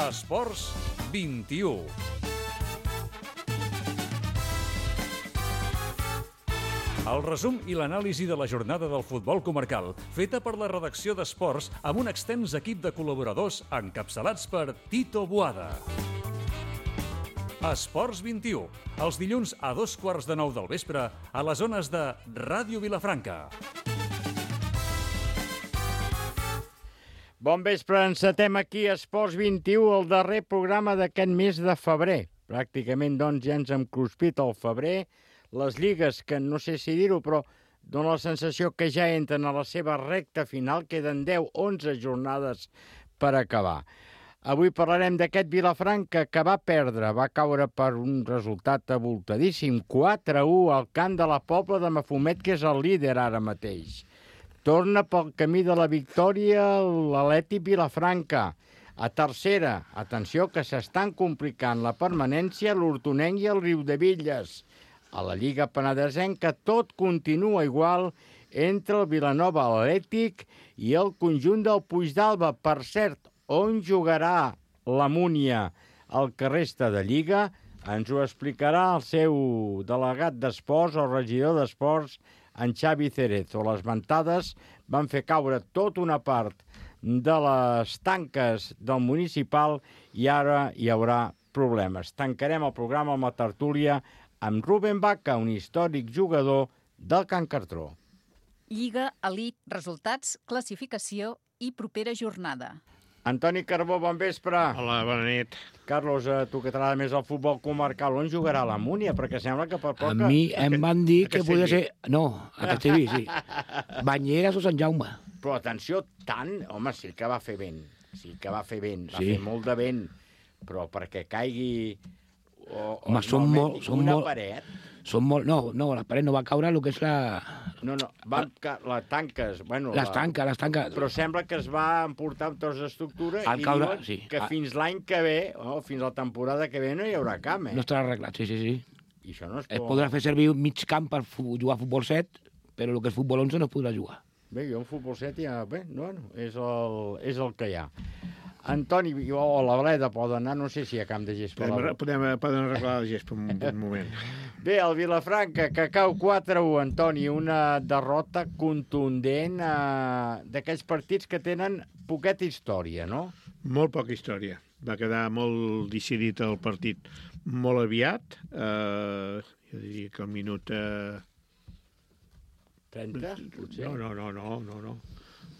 Esports 21. El resum i l'anàlisi de la jornada del futbol comarcal, feta per la redacció d'Esports amb un extens equip de col·laboradors encapçalats per Tito Boada. Esports 21, els dilluns a 8:15 del vespre a les zones de Ràdio Vilafranca. Bon vespre, encetem aquí Esports 21, el darrer programa d'aquest mes de febrer. Pràcticament, doncs, ja ens hem cruspit al febrer. Les lligues, que no sé si dir-ho, però dona la sensació que ja entren a la seva recta final. Queden 10-11 jornades per acabar. Avui parlarem d'aquest Vilafranca que va perdre, va caure per un resultat abultadíssim, 4-1 al camp de la Pobla de Mafumet, que és el líder ara mateix. Torna pel camí de la victòria l'Atlètic Vilafranca. A tercera, atenció, que s'estan complicant la permanència l'Hortonenc i el Riudebitlles. A la Lliga Penedesenca tot continua igual entre el Vilanova Atlètic i el conjunt del Puigdàlber. Per cert, on jugarà la Múnia el que resta de Lliga ens ho explicarà el seu delegat d'esports o regidor d'esports, en Xavi Cerezo. Les ventades van fer caure tota una part de les tanques del municipal i ara hi haurà problemes. Tancarem el programa amb la tertúlia amb Rubén Vaca, un històric jugador del Can Cartró. Lliga, elit, resultats, classificació i propera jornada. Antoni Carbó, bon vespre. Hola, bona nit. Carlos, tu que t'agrada més el futbol comarcal, on jugarà la Múnia? Perquè sembla que per poc... A mi em van dir que podia ser... No, a Castellví, sí. Banyeres o Sant Jaume. Però atenció, tant... Home, sí que va fer vent. Sí que va fer vent. Va Sí. fer molt de vent. Però perquè caigui... Home, són molt... paret... Són molt... No, la paret no va caure, el que és la... No, les tanques... Bueno, Les tanques. Però sembla que es va emportar amb tots d'estructura Al i caure, diuen sí. que fins l'any que ve, fins a la temporada que ve, no hi haurà camp, No estarà arreglat, sí. I això no es Es pot... podrà fer servir un mig camp per jugar a futbol 7, però el que és futbol 11 no es podrà jugar. Bé, jo en futbol 7 ja... Bé, bueno, és el que hi ha. Antoni, o la Bleda poden anar, no sé si hi ha camp de gespa. Poden arreglar el gest per un moment. Bé, el Vilafranca, que cau 4-1, Antoni, una derrota contundent d'aquells partits que tenen poqueta història, no? Molt poca història. Va quedar molt decidit el partit molt aviat. Jo diria que al minut... 30, potser? No.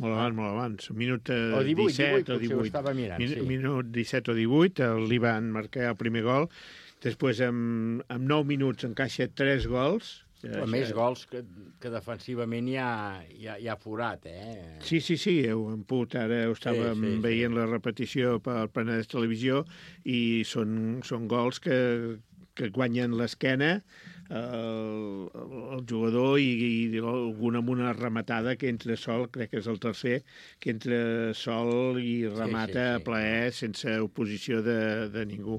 Molt abans. Minut O 18, 17 o 18. potser ho estava mirant, sí. Minut 17 o 18, li van marcar el primer gol. Després, en 9 minuts, encaixa 3 gols. Però més gols que defensivament hi ha forat, eh? Sí, en Put, ara ho estàvem veient la repetició per Penedès Televisió i són gols que guanyen l'esquena el jugador i algun amb una rematada que entra sol, crec que és el tercer, que entra sol i remata a plaer sense oposició de ningú.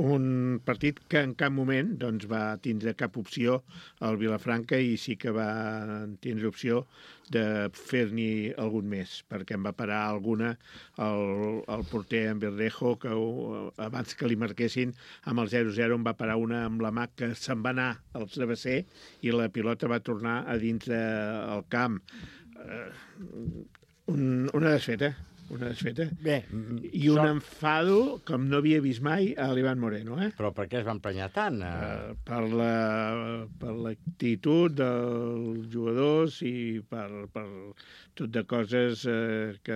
Un partit que en cap moment doncs, va tindre cap opció al Vilafranca i sí que va tindre opció de fer-n'hi algun més, perquè en va parar alguna el porter en Verdejo, que abans que li marquessin amb el 0-0 en va parar una amb la mà que se'n va anar al travesser i la pilota va tornar a dintre el camp. Una desfeta. Bé, I un enfado com no havia vist mai a l'Ivan Moreno, eh? Però per què es va emprenyar tant? Per l'actitud dels jugadors i per tot de coses que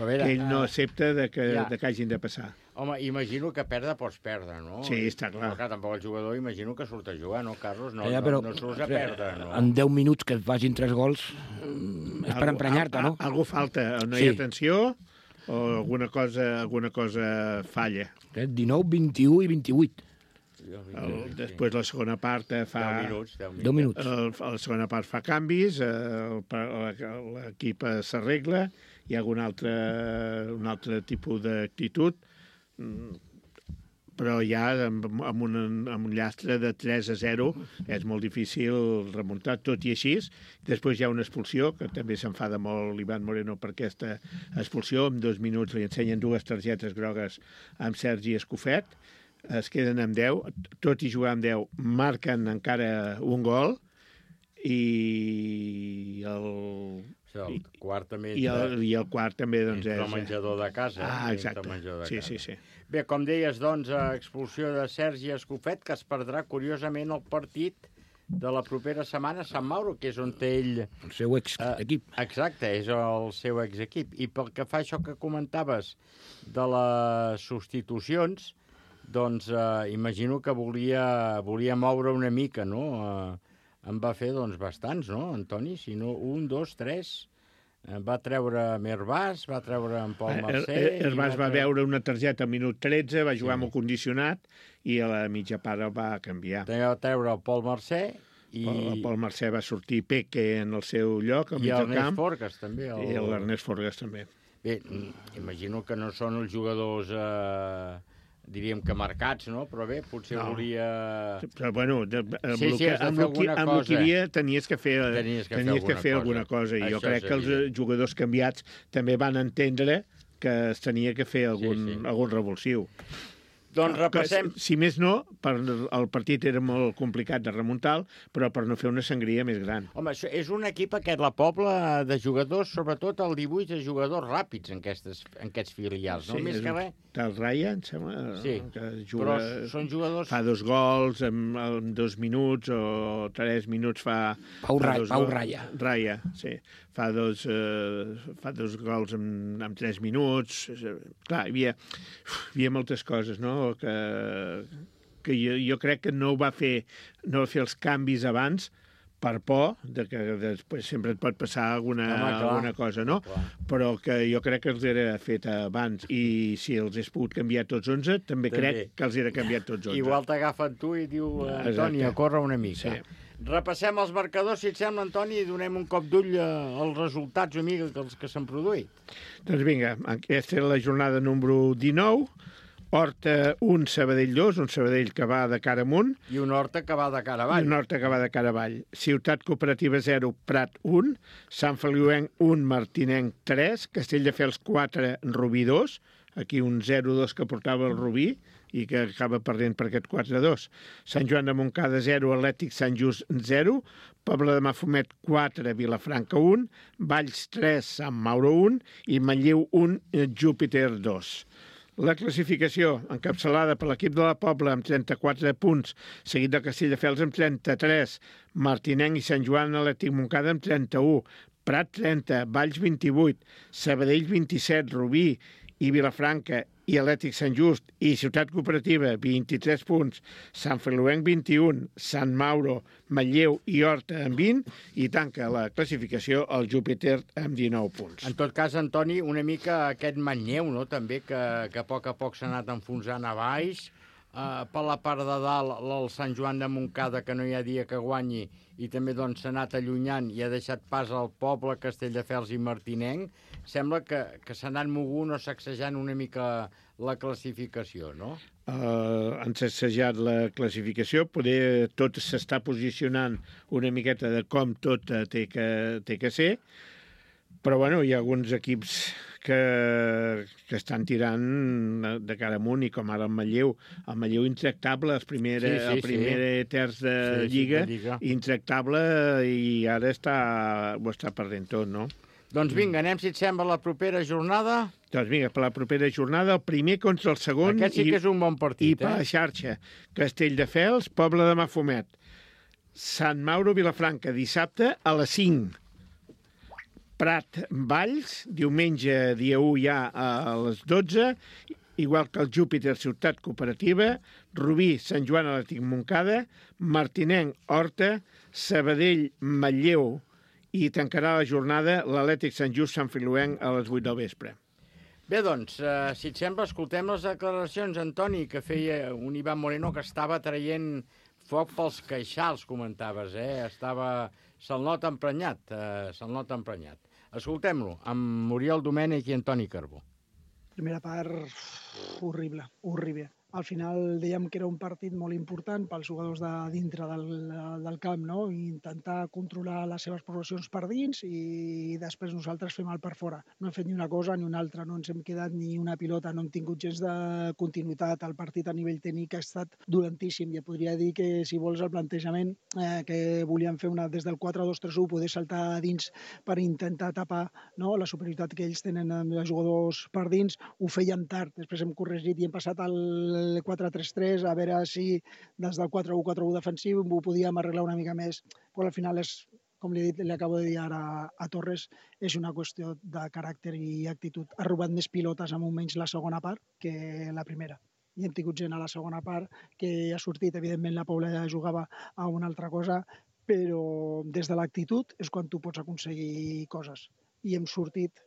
ell no accepta que hagin de passar. Home, imagino que perdre pots perdre, no? Sí, està clar. Però clar, tampoc el jugador imagino que surt a jugar, no, Carlos? No surts a perdre, no? En 10 minuts que et facin 3 gols és per emprenyar-te, no? Algú falta, no hi ha atenció o alguna cosa falla. 19, 21 i 28. Després la segona part fa... 10 minuts. La segona part fa canvis, l'equip s'arregla, hi ha un altre tipus d'actitud. però ja amb un llastre de 3-0 és molt difícil remuntar, tot i així. Després hi ha una expulsió, que també s'enfada molt l'Ivan Moreno per aquesta expulsió. En 2 minuts li ensenyen 2 targetes grogues amb Sergi Escofet, es queden amb 10, tot i jugar amb 10, marquen encara un gol, i el quart també i el quart també doncs, és el menjador de casa. Exacte, sí. Bé, com deies, doncs, expulsió de Sergi Escofet, que es perdrà, curiosament, el partit de la propera setmana a Sant Mauro, que és on té ell... El seu equip. Exacte, és el seu equip. I pel que fa això que comentaves de les substitucions, doncs imagino que volia moure una mica, no? En va fer, doncs, bastants, no, Antoni? Si no, 1, 2, 3... Va treure Hervàs, va treure en Pol Mercè... Hervàs va veure una targeta al minut 13, va jugar amb el condicionat i a la mitja part el va canviar. Va treure el Pol Mercè i... El Pol Mercè va sortir Peque en el seu lloc, al mig del camp. I l'Ernest Forgas, també. I l'Ernest Forgas, també. Bé, imagino que no són els jugadors... diríem que marcats, no? Però bé, potser volia... Però, bueno, amb el que hi havia tenies que fer alguna cosa. I jo crec que els jugadors canviats també van entendre que es tenia que fer algun revulsiu. Doncs repassem... Si més no, el partit era molt complicat de remuntar, però per no fer una sangria més gran. Home, és un equip aquest, la Pobla, de jugadors, sobretot el 18, de jugadors ràpids en aquests filials, no? Més que res... El Raya, em sembla, que juga... Però són jugadors... Fa 2 gols en 2 minuts o 3 minuts fa... Pau Raya. Raya, sí. Fa dos gols en 3 minuts. Clar, hi havia moltes coses, no?, que jo crec que no va fer els canvis abans per por, que després sempre et pot passar alguna cosa, no? Clar. Però que jo crec que els era fet abans, i si els hagués pogut canviar tots 11, també crec que els era canviat tots 11. Igual t'agafen tu i diu, Antoni, a córrer una mica. Sí. Repassem els marcadors, si et sembla, Antoni, i donem un cop d'ull als resultats, amiga, que s'han produït. Doncs vinga, aquesta és la jornada número 19, Horta 1, Sabadell 2, un Sabadell que va de cara amunt. I un Horta que va de cara avall. I un Horta que va de cara avall. Ciutat Cooperativa 0, Prat 1, Sant Feliuenc 1, Martinenc 3, Castelldefels 4, Rubí 2, aquí un 0-2 que portava el Rubí i que acaba perdent per aquest 4-2. Sant Joan de Montcada 0, Atlètic Sant Just 0, Pobla de Mafumet 4, Vilafranca 1, Valls 3, Sant Mauro 1 i Manlleu 1, Júpiter 2. La classificació, encapçalada per l'equip de la Pobla amb 34 punts, seguit de Castelldefels amb 33, Martinenc i Sant Joan Atlètic Montcada amb 31, Prat 30, Valls 28, Sabadell 27, Rubí i Vilafranca i Atlètic Sant Just i Ciutat Cooperativa 23 punts, Sant Feliuenc 21, Sant Mauro, Manlleu i Horta amb 20 i tanca la classificació el Júpiter amb 19 punts. En tot cas, Antoni, una mica aquest Manlleu, no?, també, que a poc s'ha anat enfonsant a baix. Per la part de dalt, el Sant Joan de Montcada, que no hi ha dia que guanyi, i també doncs s'ha anat allunyant i ha deixat pas al Poble, Castelldefels i Martinenc. Sembla que s'ha anat mogunt o sacsejant una mica la classificació, no? Han sacsejat la classificació, poder tot s'està posicionant una miqueta de com tot té que ser, però bueno, hi ha alguns equips que estan tirant de cara amunt, i com ara el Manlleu intractable, el primer terç de Lliga, intractable, i ara ho està perdent tot, no? Doncs vinga, anem, si et sembla, la propera jornada. Doncs vinga, per la propera jornada, el primer contra el segon. Aquest sí que és un bon partit, I per la xarxa, Castelldefels, Pobla de Mafumet, Sant Mauro, Vilafranca, dissabte a les 5. Prat, Valls, diumenge, dia 1 ja a les 12, igual que el Júpiter, Ciutat Cooperativa, Rubí, Sant Joan Atlètic Montcada, Martinenc, Horta, Sabadell, Manlleu, i tancarà la jornada l'Atlètic Sant Just, Sant Feliuenc a les 8 del vespre. Bé, doncs, si et sembla, escoltem les declaracions, Antoni, que feia un Ivan Moreno que estava traient foc pels queixals, comentaves, se'l nota emprenyat, Escoltem-lo, amb Oriol Domènech i Antoni Carbó. Primera part horrible. al final dèiem que era un partit molt important pels jugadors de dintre del camp, no? I intentar controlar les seves progressions per dins i després nosaltres fem el per fora. No hem fet ni una cosa ni una altra, no ens hem quedat ni una pilota, no hem tingut gens de continuïtat. El partit a nivell tècnic ha estat dolentíssim. Ja podria dir que, si vols, el plantejament que volíem fer des del 4-2-3-1, poder saltar a dins per intentar tapar, no, la superioritat que ells tenen amb els jugadors per dins, ho fèiem tard. Després hem corregit i hem passat al 4-3-3, a veure si des del 4-1-4-1 defensiu ho podíem arreglar una mica més, però al final és, com li he dit, li acabo de dir ara a Torres, és una qüestió de caràcter i actitud. Ha robat més pilotes en moments la segona part que la primera. I hem tingut gent a la segona part que ha sortit, evidentment la Paula ja jugava a una altra cosa, però des de l'actitud és quan tu pots aconseguir coses. I hem sortit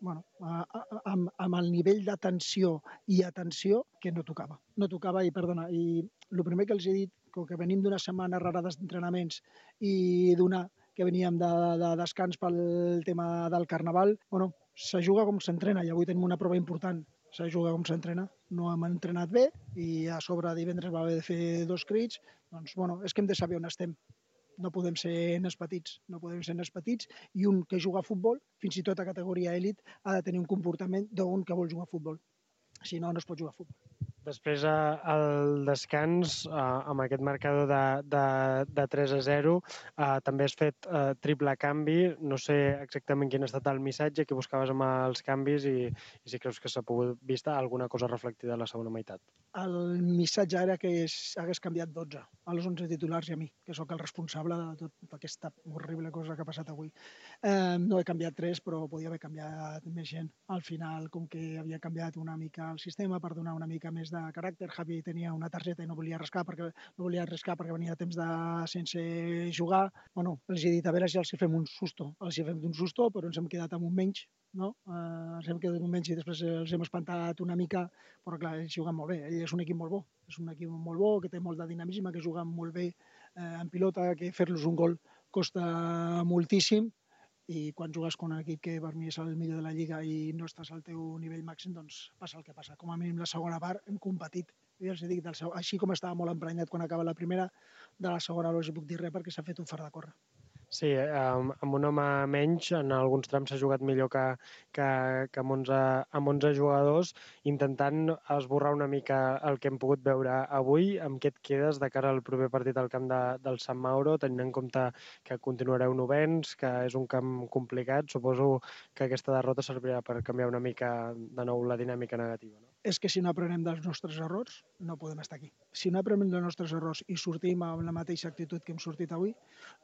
amb el nivell d'atenció i atenció que no tocava. No tocava, i perdona, i el primer que els he dit, com que venim d'una setmana rara d'entrenaments i d'una que veníem de descans pel tema del Carnaval, se juga com s'entrena, i avui tenim una prova important. Se juga com s'entrena. No hem entrenat bé i a sobre divendres va haver de fer 2 crits. Doncs, és que hem de saber on estem. No podem ser nens petits, i un que juga a futbol, fins i tot a categoria èlit, ha de tenir un comportament d'un que vol jugar a futbol. Si no, no es pot jugar a futbol. Després, al descans, amb aquest marcador de 3-0, també has fet triple canvi. No sé exactament quin ha estat el missatge que buscaves amb els canvis i si creus que s'ha pogut vista alguna cosa reflectida a la segona meitat. El missatge era que hagués canviat 12, a les 11 titulars i a mi, que sóc el responsable de tota aquesta horrible cosa que ha passat avui. No he canviat 3, però podia haver canviat més gent. Al final, com que havia canviat una mica el sistema per donar una mica més de caràcter, Javi tenia una targeta i no volia arriscar perquè venia temps sense jugar. Els he dit, a veure si els fem un susto. Els hi fem un susto, però ens hem quedat amb un menys, no? Ens hem quedat amb un menys i després els hem espantat una mica, però clar, ells juguen molt bé. Ell és un equip molt bo, que té molt de dinamisme, que juguen molt bé en pilota, que fer-los un gol costa moltíssim, i quan jugues con un equip que per mi és el millor de la Lliga i no estàs al teu nivell màxim, doncs passa el que passa. Com a mínim la segona part hem competit. Jo els dic, així com estava molt emprenyat quan acaba la primera, de la segona no els puc dir res perquè s'ha fet un fart de córrer. Sí, amb un home menys, en alguns trams s'ha jugat millor que amb 11 jugadors, intentant esborrar una mica el que hem pogut veure avui. Amb què et quedes de cara al proper partit al camp del Sant Mauro, tenint en compte que continuareu novens, que és un camp complicat? Suposo que aquesta derrota servirà per canviar una mica de nou la dinàmica negativa, no? És que si no aprenem dels nostres errors, no podem estar aquí. Si no aprenem dels nostres errors i sortim amb la mateixa actitud que hem sortit avui,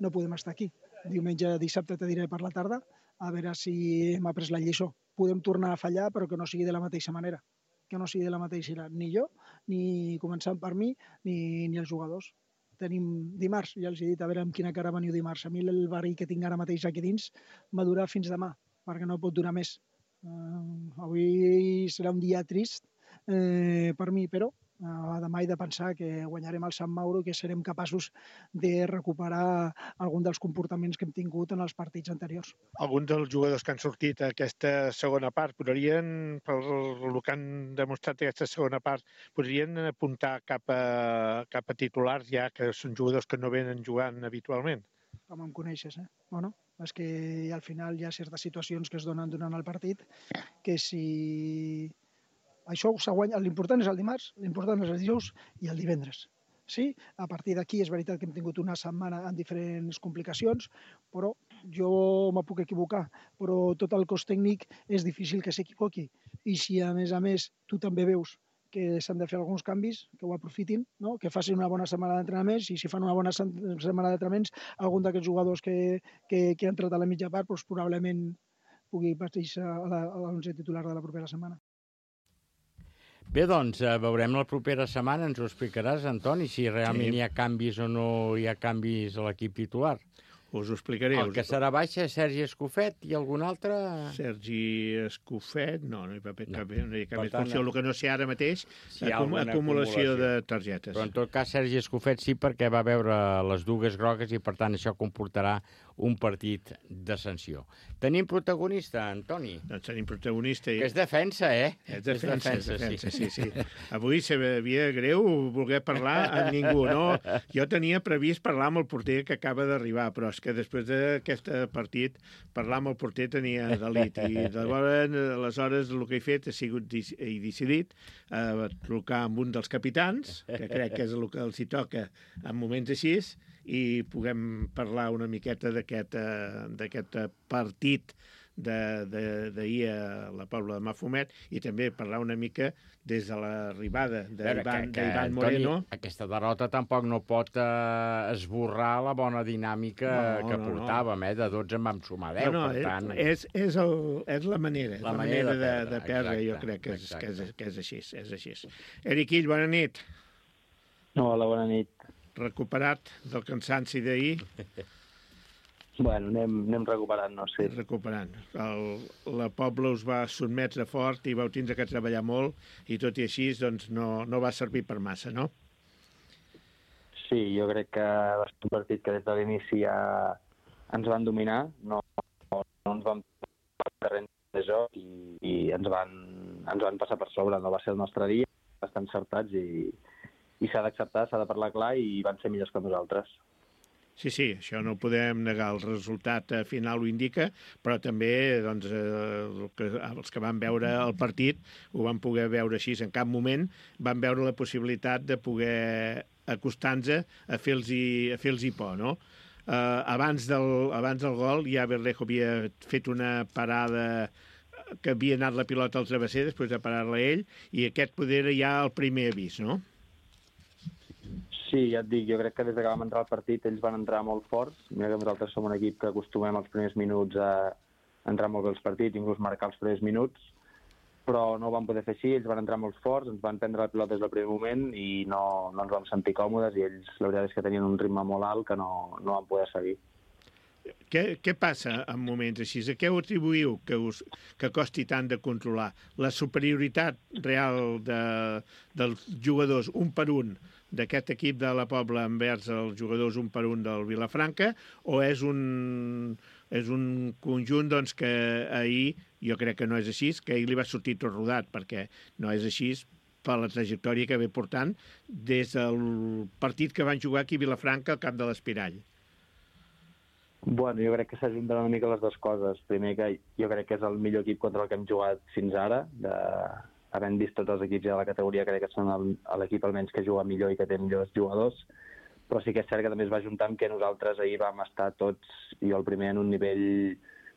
no podem estar aquí. Dissabte te diré per la tarda, a veure si hem après la lliçó. Podem tornar a fallar, però que no sigui de la mateixa manera. Que no sigui de la mateixa manera. Ni jo, ni començant per mi, ni els jugadors. Tenim dimarts, ja els he dit, a veure amb quina cara veniu dimarts. A mi el verí que tinc ara mateix aquí dins m'ha durat fins demà, perquè no pot durar més. Avui serà un dia trist per mi, però demà he de pensar que guanyarem el Sant Mauro i que serem capaços de recuperar algun dels comportaments que hem tingut en els partits anteriors. Alguns dels jugadors que han sortit a aquesta segona part podrien, per el que han demostrat aquesta segona part, podrien apuntar cap a titulars ja, que són jugadors que no venen jugant habitualment? Com em coneixes, és que al final hi ha certes situacions que es donen durant el partit que si això s'ha guanyat, l'important és el dimarts, l'important és el dijous i el divendres. Sí, a partir d'aquí és veritat que hem tingut una setmana amb diferents complicacions, però jo me puc equivocar, però tot el cos tècnic és difícil que s'equivoqui. I si a més tu també veus que s'han de fer alguns canvis, que ho aprofitin, no? Que facin una bona setmana d'entrenaments, i si fan una bona setmana d'entrenaments, algun d'aquests jugadors que ha entrat a la mitja part probablement pugui partir a l'11 titular de la propera setmana. Bé, doncs, veurem la propera setmana, ens ho explicaràs, Antoni, si realment hi ha canvis o no hi ha canvis a l'equip titular. Us ho explicaré. El que serà baixa és Sergi Escofet i algun altre... Sergi Escofet, no hi ha cap més funció. El que no sé ara mateix, acumulació de targetes. Però en tot cas Sergi Escofet sí, perquè va veure les dugues grogues i per tant això comportarà un partit de sanció. Tenim protagonista, Antoni. Doncs tenim protagonista. Que és defensa, eh? És defensa, sí. Avui s'havia greu voler parlar amb ningú, no? Jo tenia previst parlar amb el porter que acaba d'arribar, però és que després d'aquest partit parlar amb el porter tenia delit. I aleshores el que he fet he decidit trucar amb un dels capitans, que crec que és el que els hi toca en moments així, i puguem parlar una miqueta d'aquest partit d'ahir a la Pobla de Mafumet i també parlar una mica des de l'arribada d'Ivan Moreno. Aquesta derrota tampoc no pot esborrar la bona dinàmica que portàvem, de 12 en vam sumar 10, per tant... És la manera, la manera de perdre, jo crec que és així. Eric Ill, bona nit. Hola, bona nit. Recuperat del cansanci d'ahir? Bueno, anem recuperant, no sé. Recuperant. La Pobla us va sotmetre fort i vau tindre que treballar molt i tot i així doncs, no va servir per massa, no? Sí, jo crec que va ser un partit que des de l'inici ja ens van dominar, no ens van passar el terreny de joc i ens van passar per sobre. No va ser el nostre dia, estan encertats i s'ha d'acceptar, s'ha de parlar clar i van ser millors que nosaltres. Sí, això no ho podem negar, el resultat final ho indica, però també doncs, els que van veure el partit ho van poder veure així. En cap moment van veure la possibilitat de poder acostar-nos a fer-los por, no? Abans del gol ja Berlejo havia fet una parada que havia anat la pilota al travesser després de parar-la ell, i aquest poder era ja el primer avís, no? Sí, ja et dic, jo crec que des que vam entrar al partit ells van entrar molt forts. Mira que nosaltres som un equip que acostumem els primers minuts a entrar molt bé als partits, inclús marcar els primers minuts, però no ho van poder fer així, ells van entrar molt forts, ens van prendre la pilota des del primer moment i no ens vam sentir còmodes i ells la veritat és que tenien un ritme molt alt que no van poder seguir. Què passa en moments així? A què ho atribuïu que costi tant de controlar? La superioritat real dels jugadors un per un d'aquest equip de la Pobla envers els jugadors un per un del Vilafranca, o és un conjunt doncs, que ahir, jo crec que no és així, que ahir li va sortir tot rodat, perquè no és així per la trajectòria que ve portant des del partit que van jugar aquí a Vilafranca al camp de l'Espirall? Bueno, jo crec que s'ajunten una mica les dues coses. Primer, que jo crec que és el millor equip contra el que hem jugat fins ara. Havent vist tots els equips de la categoria, crec que són l'equip almenys que juga millor i que té millors jugadors. Però sí que és cert que també es va ajuntar amb que nosaltres ahir vam estar tots, i jo el primer, en un nivell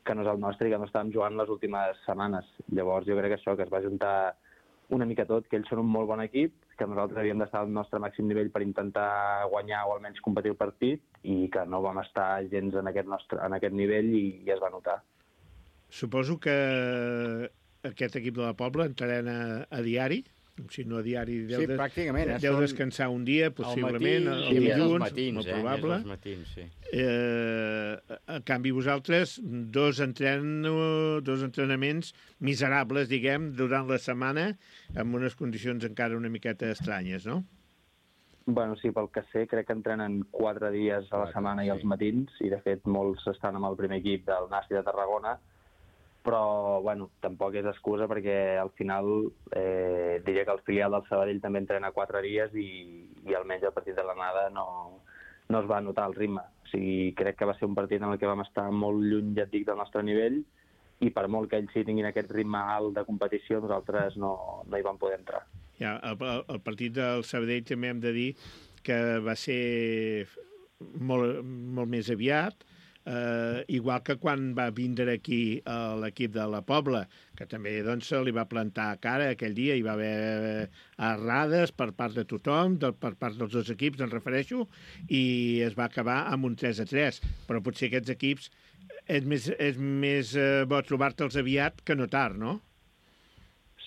que no és el nostre i que no estàvem jugant les últimes setmanes. Llavors jo crec que això, que es va ajuntar una mica tot, que ells són un molt bon equip, que nosaltres havíem d'estar al nostre màxim nivell per intentar guanyar o almenys competir el partit, i que no vam estar gens en aquest nivell i es va notar. Suposo que aquest equip de la Pobla entrena a diari, si no a diari pràcticament. Deu descansar un dia, possiblement, el dilluns, molt probable. Els matins, sí. En canvi, vosaltres, dos entrenaments miserables, diguem, durant la setmana, amb unes condicions encara una miqueta estranyes, no? Bueno, sí, pel que sé, crec que entrenen 4 dies a la setmana i als matins, i de fet molts estan amb el primer equip del Nasi de Tarragona, però bueno, tampoc és excusa perquè al final diria que el filial del Sabadell també entrena 4 dies i almenys el partit de l'anada no es va notar el ritme. O sigui, crec que va ser un partit en el que vam estar molt lluny, ja et dic, del nostre nivell, i per molt que ells sí tinguin aquest ritme alt de competició, nosaltres no hi vam poder entrar. Ja, el partit del Sabadell també hem de dir que va ser molt, molt més aviat, igual que quan va vindre aquí l'equip de la Pobla, que també doncs, se li va plantar cara aquell dia, hi va haver errades per part de tothom, per part dels dos equips, em refereixo, i es va acabar amb un 3-3, però potser aquests equips és més bo trobar-te'ls aviat que no tard, no?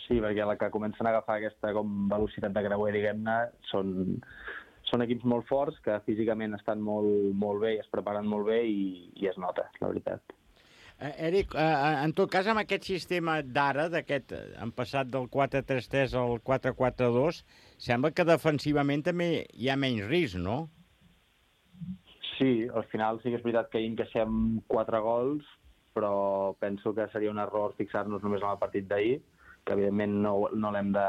Sí, perquè la que comencen a agafar aquesta com velocitat de creuer, diguem-ne, són equips molt forts, que físicament estan molt bé i es preparen molt bé i es nota, la veritat. Eric, en tot cas, amb aquest sistema d'ara, han passat del 4-3-3 al 4-4-2, sembla que defensivament també hi ha menys risc, no? Sí, al final sí que és veritat que hi encaixem 4 gols, però penso que seria un error fixar-nos només en el partit d'ahir, que evidentment no l'hem de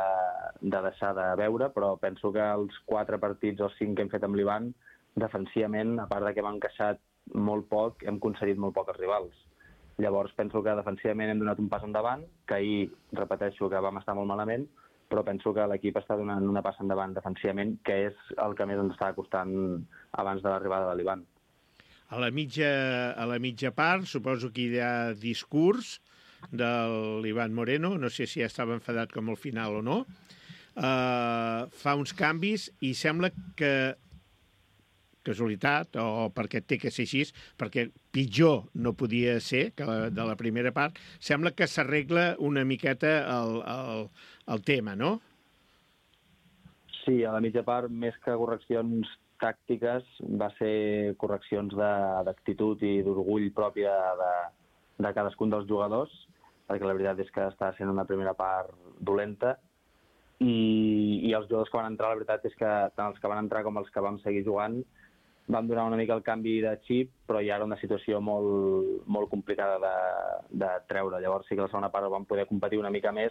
deixar de veure, però penso que els 4 partits o 5 que hem fet amb l'Ivan, defensivament, a part de que hem encaixat molt poc, hem concedit molt poc als rivals. Llavors penso que defensivament hem donat un pas endavant, que ahir, repeteixo, que vam estar molt malament, però penso que l'equip està donant una passa endavant defensivament, que és el que més ens estava costant abans de l'arribada de l'Ivan. A la mitja part, suposo que hi ha discurs de l'Ivan Moreno, no sé si ja estava enfadat com al final o no, fa uns canvis i sembla que, casualitat, o perquè té que ser així, perquè pitjor no podia ser que de la primera part, sembla que s'arregla una miqueta el tema, no? Sí, a la mitja part, més que correccions tàctiques, va ser correccions d'actitud i d'orgull pròpia de cadascun dels jugadors, perquè la veritat és que està sent una primera part dolenta, i els jugadors que van entrar, la veritat és que tant els que van entrar com els que vam seguir jugant vam donar una mica el canvi de xip, però ja era una situació molt, molt complicada de treure. Llavors sí que la segona part vam poder competir una mica més,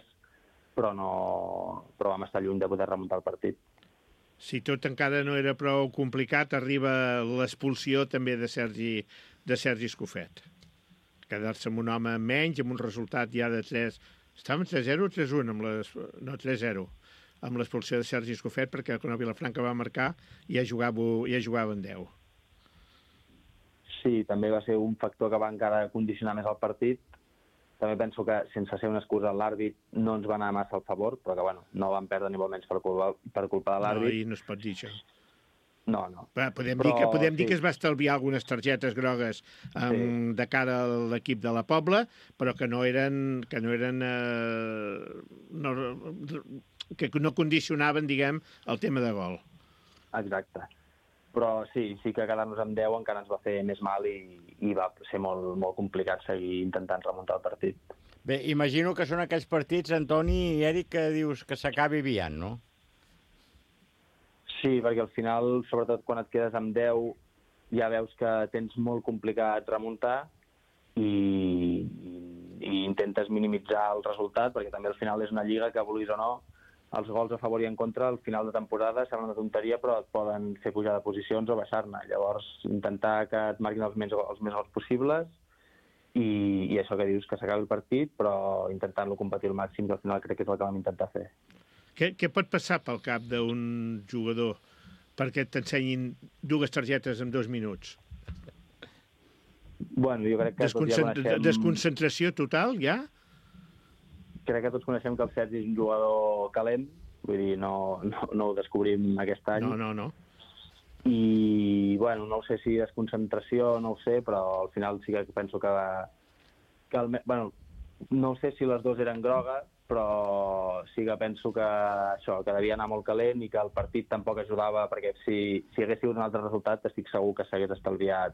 però vam estar lluny de poder remuntar el partit. Si tot encara no era prou complicat, arriba l'expulsió també de Sergi Escofet. Quedar-se amb un home menys, amb un resultat ja de 3... Estàvem 3-0 o 3-1? No, 3-0. Amb l'expulsió de Sergi Escofet, perquè quan el Vilafranca va marcar ja jugaven 10. Sí, també va ser un factor que va encara condicionar més el partit. També penso que, sense ser una excusa, l'àrbit no ens va anar massa al favor, però que no van perdre ni molt menys per culpa de l'àrbit. No, i no es pot dir això. No. Podem dir que es va estalviar algunes targetes grogues de cara a l'equip de la Pobla, però que no condicionaven, diguem, el tema de gol. Exacte. Però sí que quedar-nos amb 10 encara ens va fer més mal i va ser molt, molt complicat seguir intentant remuntar el partit. Bé, imagino que són aquells partits, Antoni i Eric, que dius que s'acabi aviat, no? Sí, perquè al final, sobretot quan et quedes amb 10, ja veus que tens molt complicat remuntar i intentes minimitzar el resultat, perquè també al final és una lliga que, vulguis o no, els gols a favor i en contra al final de temporada sembla una tonteria, però et poden fer pujar de posicions o baixar-ne. Llavors, intentar que et marquin els més gols possibles i això que dius, que s'acabi el partit, però intentant-lo competir al màxim, que al final crec que és el que vam intentar fer. Què pot passar pel cap d'un jugador perquè t'ensenyin 2 targetes en 2 minuts? Bueno, jo crec que tots ja coneixem... Desconcentració total, ja? Crec que tots coneixem que el Sergi és un jugador calent, vull dir, no ho descobrim aquest any. No. I, bueno, no sé si desconcentració, no ho sé, però al final sí que penso que no sé si les 2 eren grogues, però sí que penso que que devia anar molt calent i que el partit tampoc ajudava, perquè si hagués sigut un altre resultat estic segur que s'hagués estalviat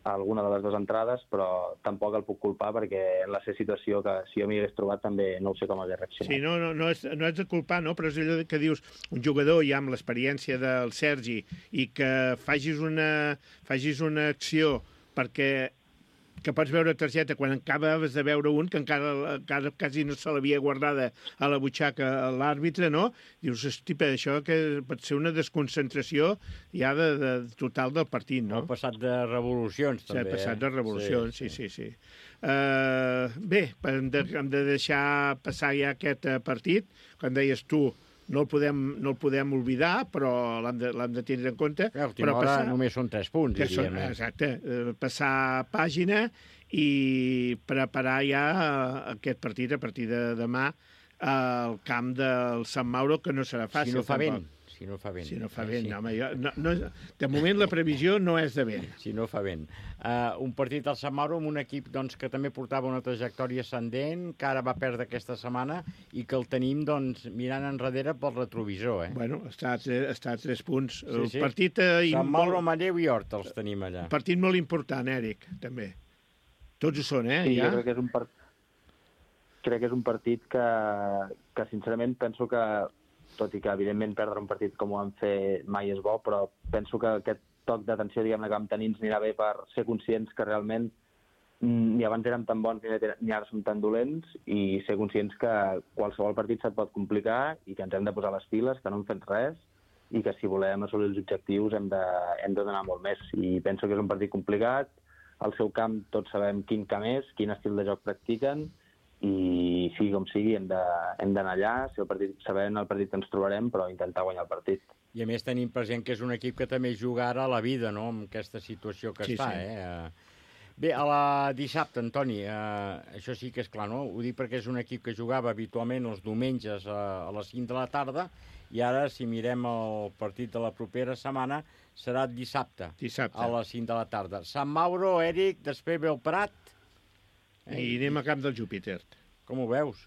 alguna de les 2 entrades, però tampoc el puc culpar perquè en la seva situació, que si jo m'hi hagués trobat també no sé com hagués reaccionat. Sí, no és de culpar, no? Però és allò que dius, un jugador ja amb l'experiència del Sergi i que facis una acció perquè que pots veure targeta quan acabes de veure un que encara quasi no se l'havia guardada a la butxaca a l'àrbitre, no? Dius, hosti, això que pot ser una desconcentració ja de total del partit, no? Ha passat de revolucions, també. Ha passat de revolucions, sí. Bé, hem de deixar passar ja aquest partit. Com deies tu, no el podem oblidar, però l'hem de tindre en compte. A l'última hora només són 3 punts, diríem. Exacte. Passar pàgina i preparar ja aquest partit a partir de demà al camp del Sant Mauro, que no serà fàcil. Si no fa vent. Sí. Home, de moment la previsió no és de vent. Si no fa vent. Un partit al Sant Mauro amb un equip que també portava una trajectòria ascendent, que ara va perdre aquesta setmana i que el tenim mirant enrere pel retrovisor. Bueno, està a 3 punts. Sí. Partit Sant Mauro, Manlleu i Horta els tenim allà. Partit molt important, Eric, també. Tots ho són, Sí, ja? Jo crec que és un partit que sincerament penso que, tot i que evidentment perdre un partit com ho han fet mai és bo, però penso que aquest toc d'atenció, diguem-ne, que vam tenir ens anirà bé per ser conscients que realment ni abans érem tan bons ni ara som tan dolents, i ser conscients que qualsevol partit se't pot complicar i que ens hem de posar les piles, que no hem fet res, i que si volem assolir els objectius hem de donar molt més. I penso que és un partit complicat. Al seu camp tots sabem quin camp és, quin estil de joc practiquen, i sigui com sigui hem d'anar allà, sabent el partit que ens trobarem, però intentar guanyar el partit. I a més tenim present que és un equip que també juga ara a la vida, no?, amb aquesta situació que està, sí. Bé, a la dissabte, Antoni, això sí que és clar, no? Ho dic perquè és un equip que jugava habitualment els diumenges a les 5 de la tarda, i ara, si mirem el partit de la propera setmana, serà dissabte. A les 5 de la tarda. Sant Mauro, Eric, després ve el Prat. I anem a camp del Júpiter. Com ho veus?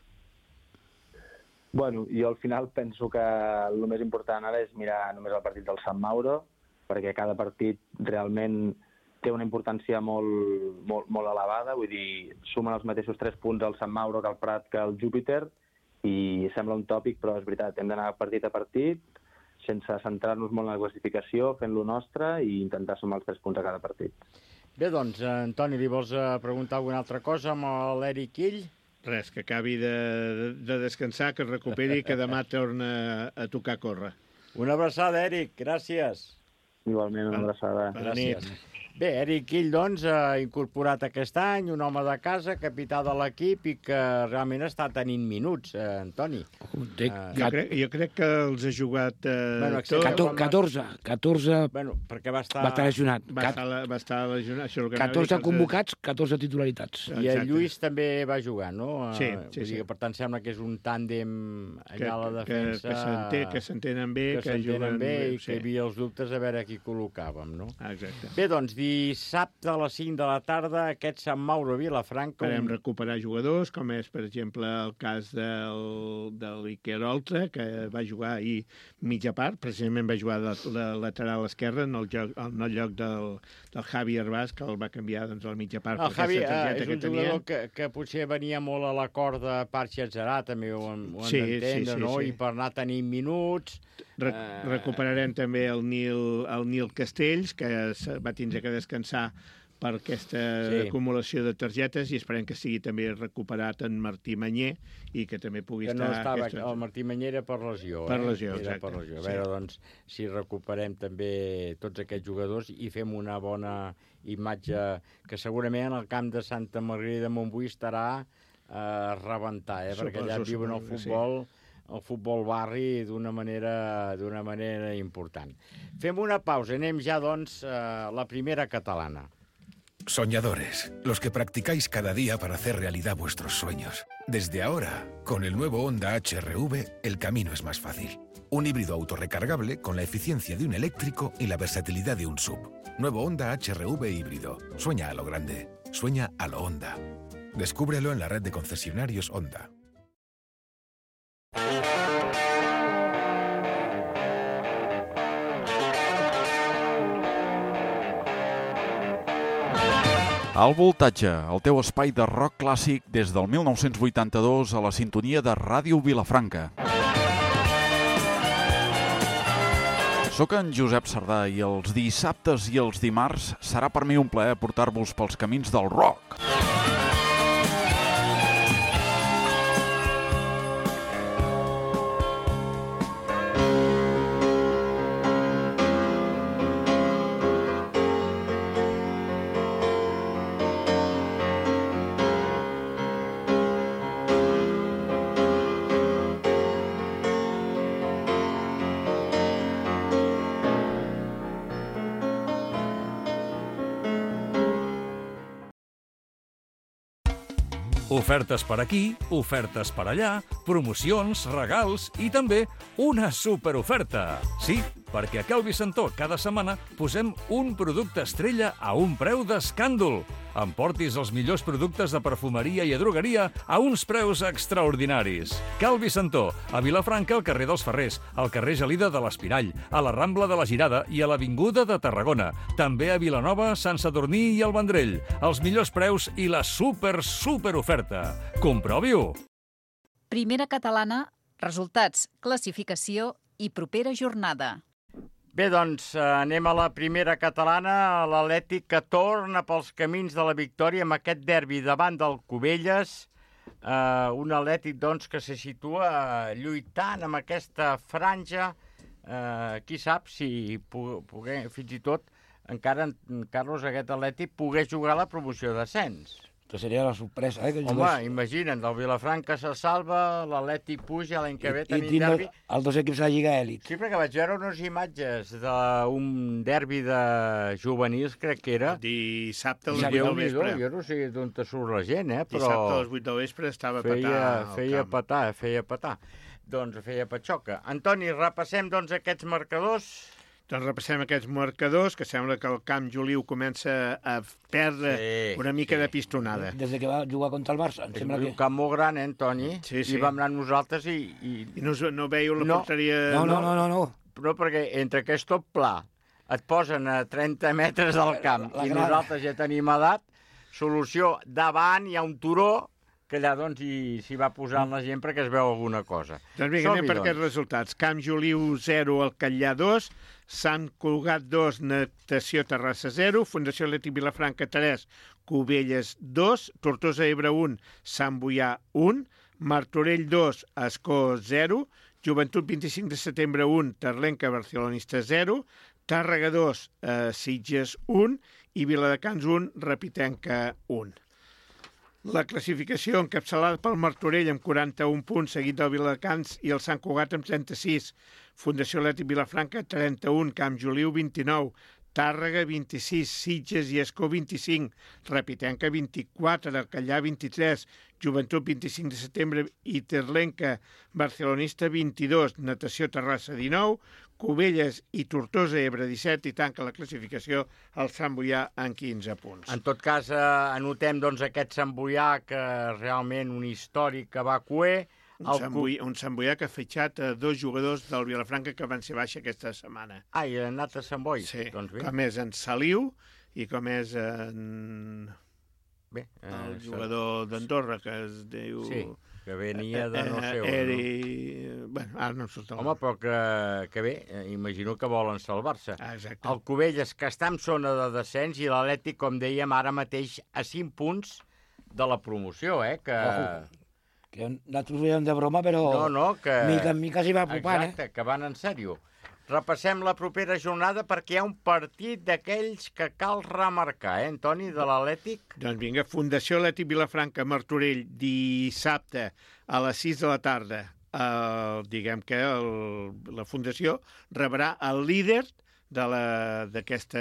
Bueno, jo al final penso que el més important ara és mirar només el partit del Sant Mauro, perquè cada partit realment té una importància molt elevada, vull dir, sumen els mateixos 3 punts al Sant Mauro que al Prat que al Júpiter, i sembla un tòpic, però és veritat, hem d'anar partit a partit, sense centrar-nos molt en la classificació, fent-lo nostre i intentar sumar els 3 punts a cada partit. Bé, doncs, Antoni, li vols preguntar alguna altra cosa amb l'Eric Ill? Res, que acabi de descansar, que es recuperi i que demà torna a tocar a córrer. Una abraçada, Eric, gràcies. Igualment, una abraçada. Gràcies. Bé, Eric Ill, doncs, ha incorporat aquest any, un home de casa, capità de l'equip, i que realment està tenint minuts, Antoni. Jo crec que els ha jugat... 14. Bueno, perquè va estar lesionat. Va estar lesionat. 14 convocats, 14 titularitats. I el Lluís també va jugar, no? Sí. Per tant, sembla que és un tàndem allà a la defensa... Que s'entenen bé, que s'entenen bé, i que hi havia els dubtes a veure qui col·locàvem, no? Exacte. Bé, doncs, dissabte a les 5 de la tarda, aquest Sant Mauro Vilafranca... Podem recuperar jugadors, com és, per exemple, el cas de l'Iker Oltra, que va jugar ahir mitja part, precisament va jugar de lateral esquerra en el lloc del Javi Herbàs, que el va canviar a la mitja part. El Javi és un jugador que potser venia molt a la corda Parxa Atzarà, també ho hem d'entendre, no? I per anar tenint minuts... Recuperarem també el Nil Castells, que va tindre que descansar per aquesta acumulació de targetes, i esperem que sigui també recuperat en Martí Manyer i que també pugui estar... Que no estava, el Martí Manyer era per lesió. Per lesió, exacte. A veure, doncs, si recuperem també tots aquests jugadors i fem una bona imatge, que segurament en el camp de Santa Margarida de Montbui estarà a rebentar, perquè allà viuen el futbol barri d'una manera important. Fem una pausa, anem ja, doncs, a la primera catalana. Soñadores, los que practicáis cada día para hacer realidad vuestros sueños. Desde ahora, con el nuevo Honda HR-V, el camino es más fácil. Un híbrido autorrecargable con la eficiencia de un eléctrico y la versatilidad de un SUV. Nuevo Honda HR-V híbrido. Sueña a lo grande. Sueña a lo Honda. Descúbrelo en la red de concesionarios Honda. Al Voltatge, el teu espai de rock clàssic des del 1982 a la sintonia de Ràdio Vilafranca. Soc en Josep Sardà i els dissabtes i els dimarts serà per mi un plaer portar-vos pels camins del rock. Ofertes per aquí, ofertes per allà, promocions, regals i també una superoferta. Sí, perquè a Cal Vicentó cada setmana posem un producte estrella a un preu d'escàndol. Emportis els millors productes de perfumeria i drogueria a uns preus extraordinaris. Cal Vicentó, a Vilafranca, al carrer dels Ferrers, al carrer Gelida de l'Espirall, a la Rambla de la Girada i a l'Avinguda de Tarragona. També a Vilanova, Sant Sadurní i el Vendrell. Els millors preus i la superoferta. Comprovi-ho! Primera catalana, resultats, classificació i propera jornada. Bé, doncs, anem a la primera catalana, l'Atlètic que torna pels camins de la victòria amb aquest derbi davant del Cubelles, un Atlètic, doncs, que se situa lluitant amb aquesta franja, qui sap si poguer, fins i tot, encara, Carlos, aquest Atlètic pogués jugar a la promoció d'ascens. Que seria la sorpresa, que Home, imagina't, el Vilafranca se salva, l'Atlètic puja, l'any que ve tenim derbi. Els dos equips de la Lliga Èlit. Sí, perquè vaig veure unes imatges d'un derbi de juvenils, crec que era. Dissabte a les 8 del vespre. Jo no sé d'on te surt la gent, però... Dissabte a les 8 del vespre estava feia petar. Doncs feia patxoca. Antoni, repassem doncs aquests marcadors. Doncs repassem aquests marcadors, que sembla que el Camp Joliu comença a perdre una mica de pistonada. Des que va jugar contra el Barça. És un camp molt gran, Antoni? Sí. I vam anar nosaltres i... I no veieu la porteria... No. No, perquè entre que és tot pla, et posen a 30 metres del camp i nosaltres ja tenim edat, solució, davant hi ha un turó que allà doncs s'hi va posant la gent perquè es veu alguna cosa. Doncs vinga, anem per aquests resultats. Camp Joliu 0, Alcallà 2, Sant Cugat 2, Natació Terrassa 0, Fundació Atlètic Vilafranca 3, Cubelles 2, Tortosa Ebre 1, Sant Boià 1, Martorell 2, Ascó 0, Joventut 25 de setembre 1, Terlenca Barcelonista 0, Tàrrega 2, Sitges 1 i Viladecans 1, Repitenca 1. La classificació encapçalada pel Martorell amb 41 punts, seguit del Viladecans i el Sant Cugat amb 36. Fundació Atlètic Vilafranca 31, Camp Joliu 29, Tàrrega 26, Sitges i Escó 25, Repitenca 24, Alcallà 23, Joventut 25 de setembre i Terlenca Barcelonista 22, Natació Terrassa 19, Cubelles i Tortosa Ebre 17 i tanca la classificació el Sant Boià en 15 punts. En tot cas, anotem doncs, aquest Sant Boià que realment un històric que va cuer. Un Sant Boià que ha fitxat 2 jugadors del Vilafranca que van ser baixa aquesta setmana. I han anat a Sant Boi? Sí, doncs com és en Saliu i com és en... el jugador d'Andorra, que es diu... Sí, que venia de no sé on. Bueno, ara no em surt el nom. Home, però que bé, imagino que volen salvar-se. Exacte. El Cubelles, que està en zona de descens, i l'Atlètic, com dèiem, ara mateix a 5 punts de la promoció, que nosaltres ho veiem de broma, però que... mica en mica s'hi va apropant. Exacte, que van en sèrio. Repassem la propera jornada perquè hi ha un partit d'aquells que cal remarcar, Antoni, de l'Atlètic? Doncs vinga, Fundació Atlètic Vilafranca, Martorell, dissabte a les 6 de la tarda. Diguem que la Fundació rebrà el líder d'aquest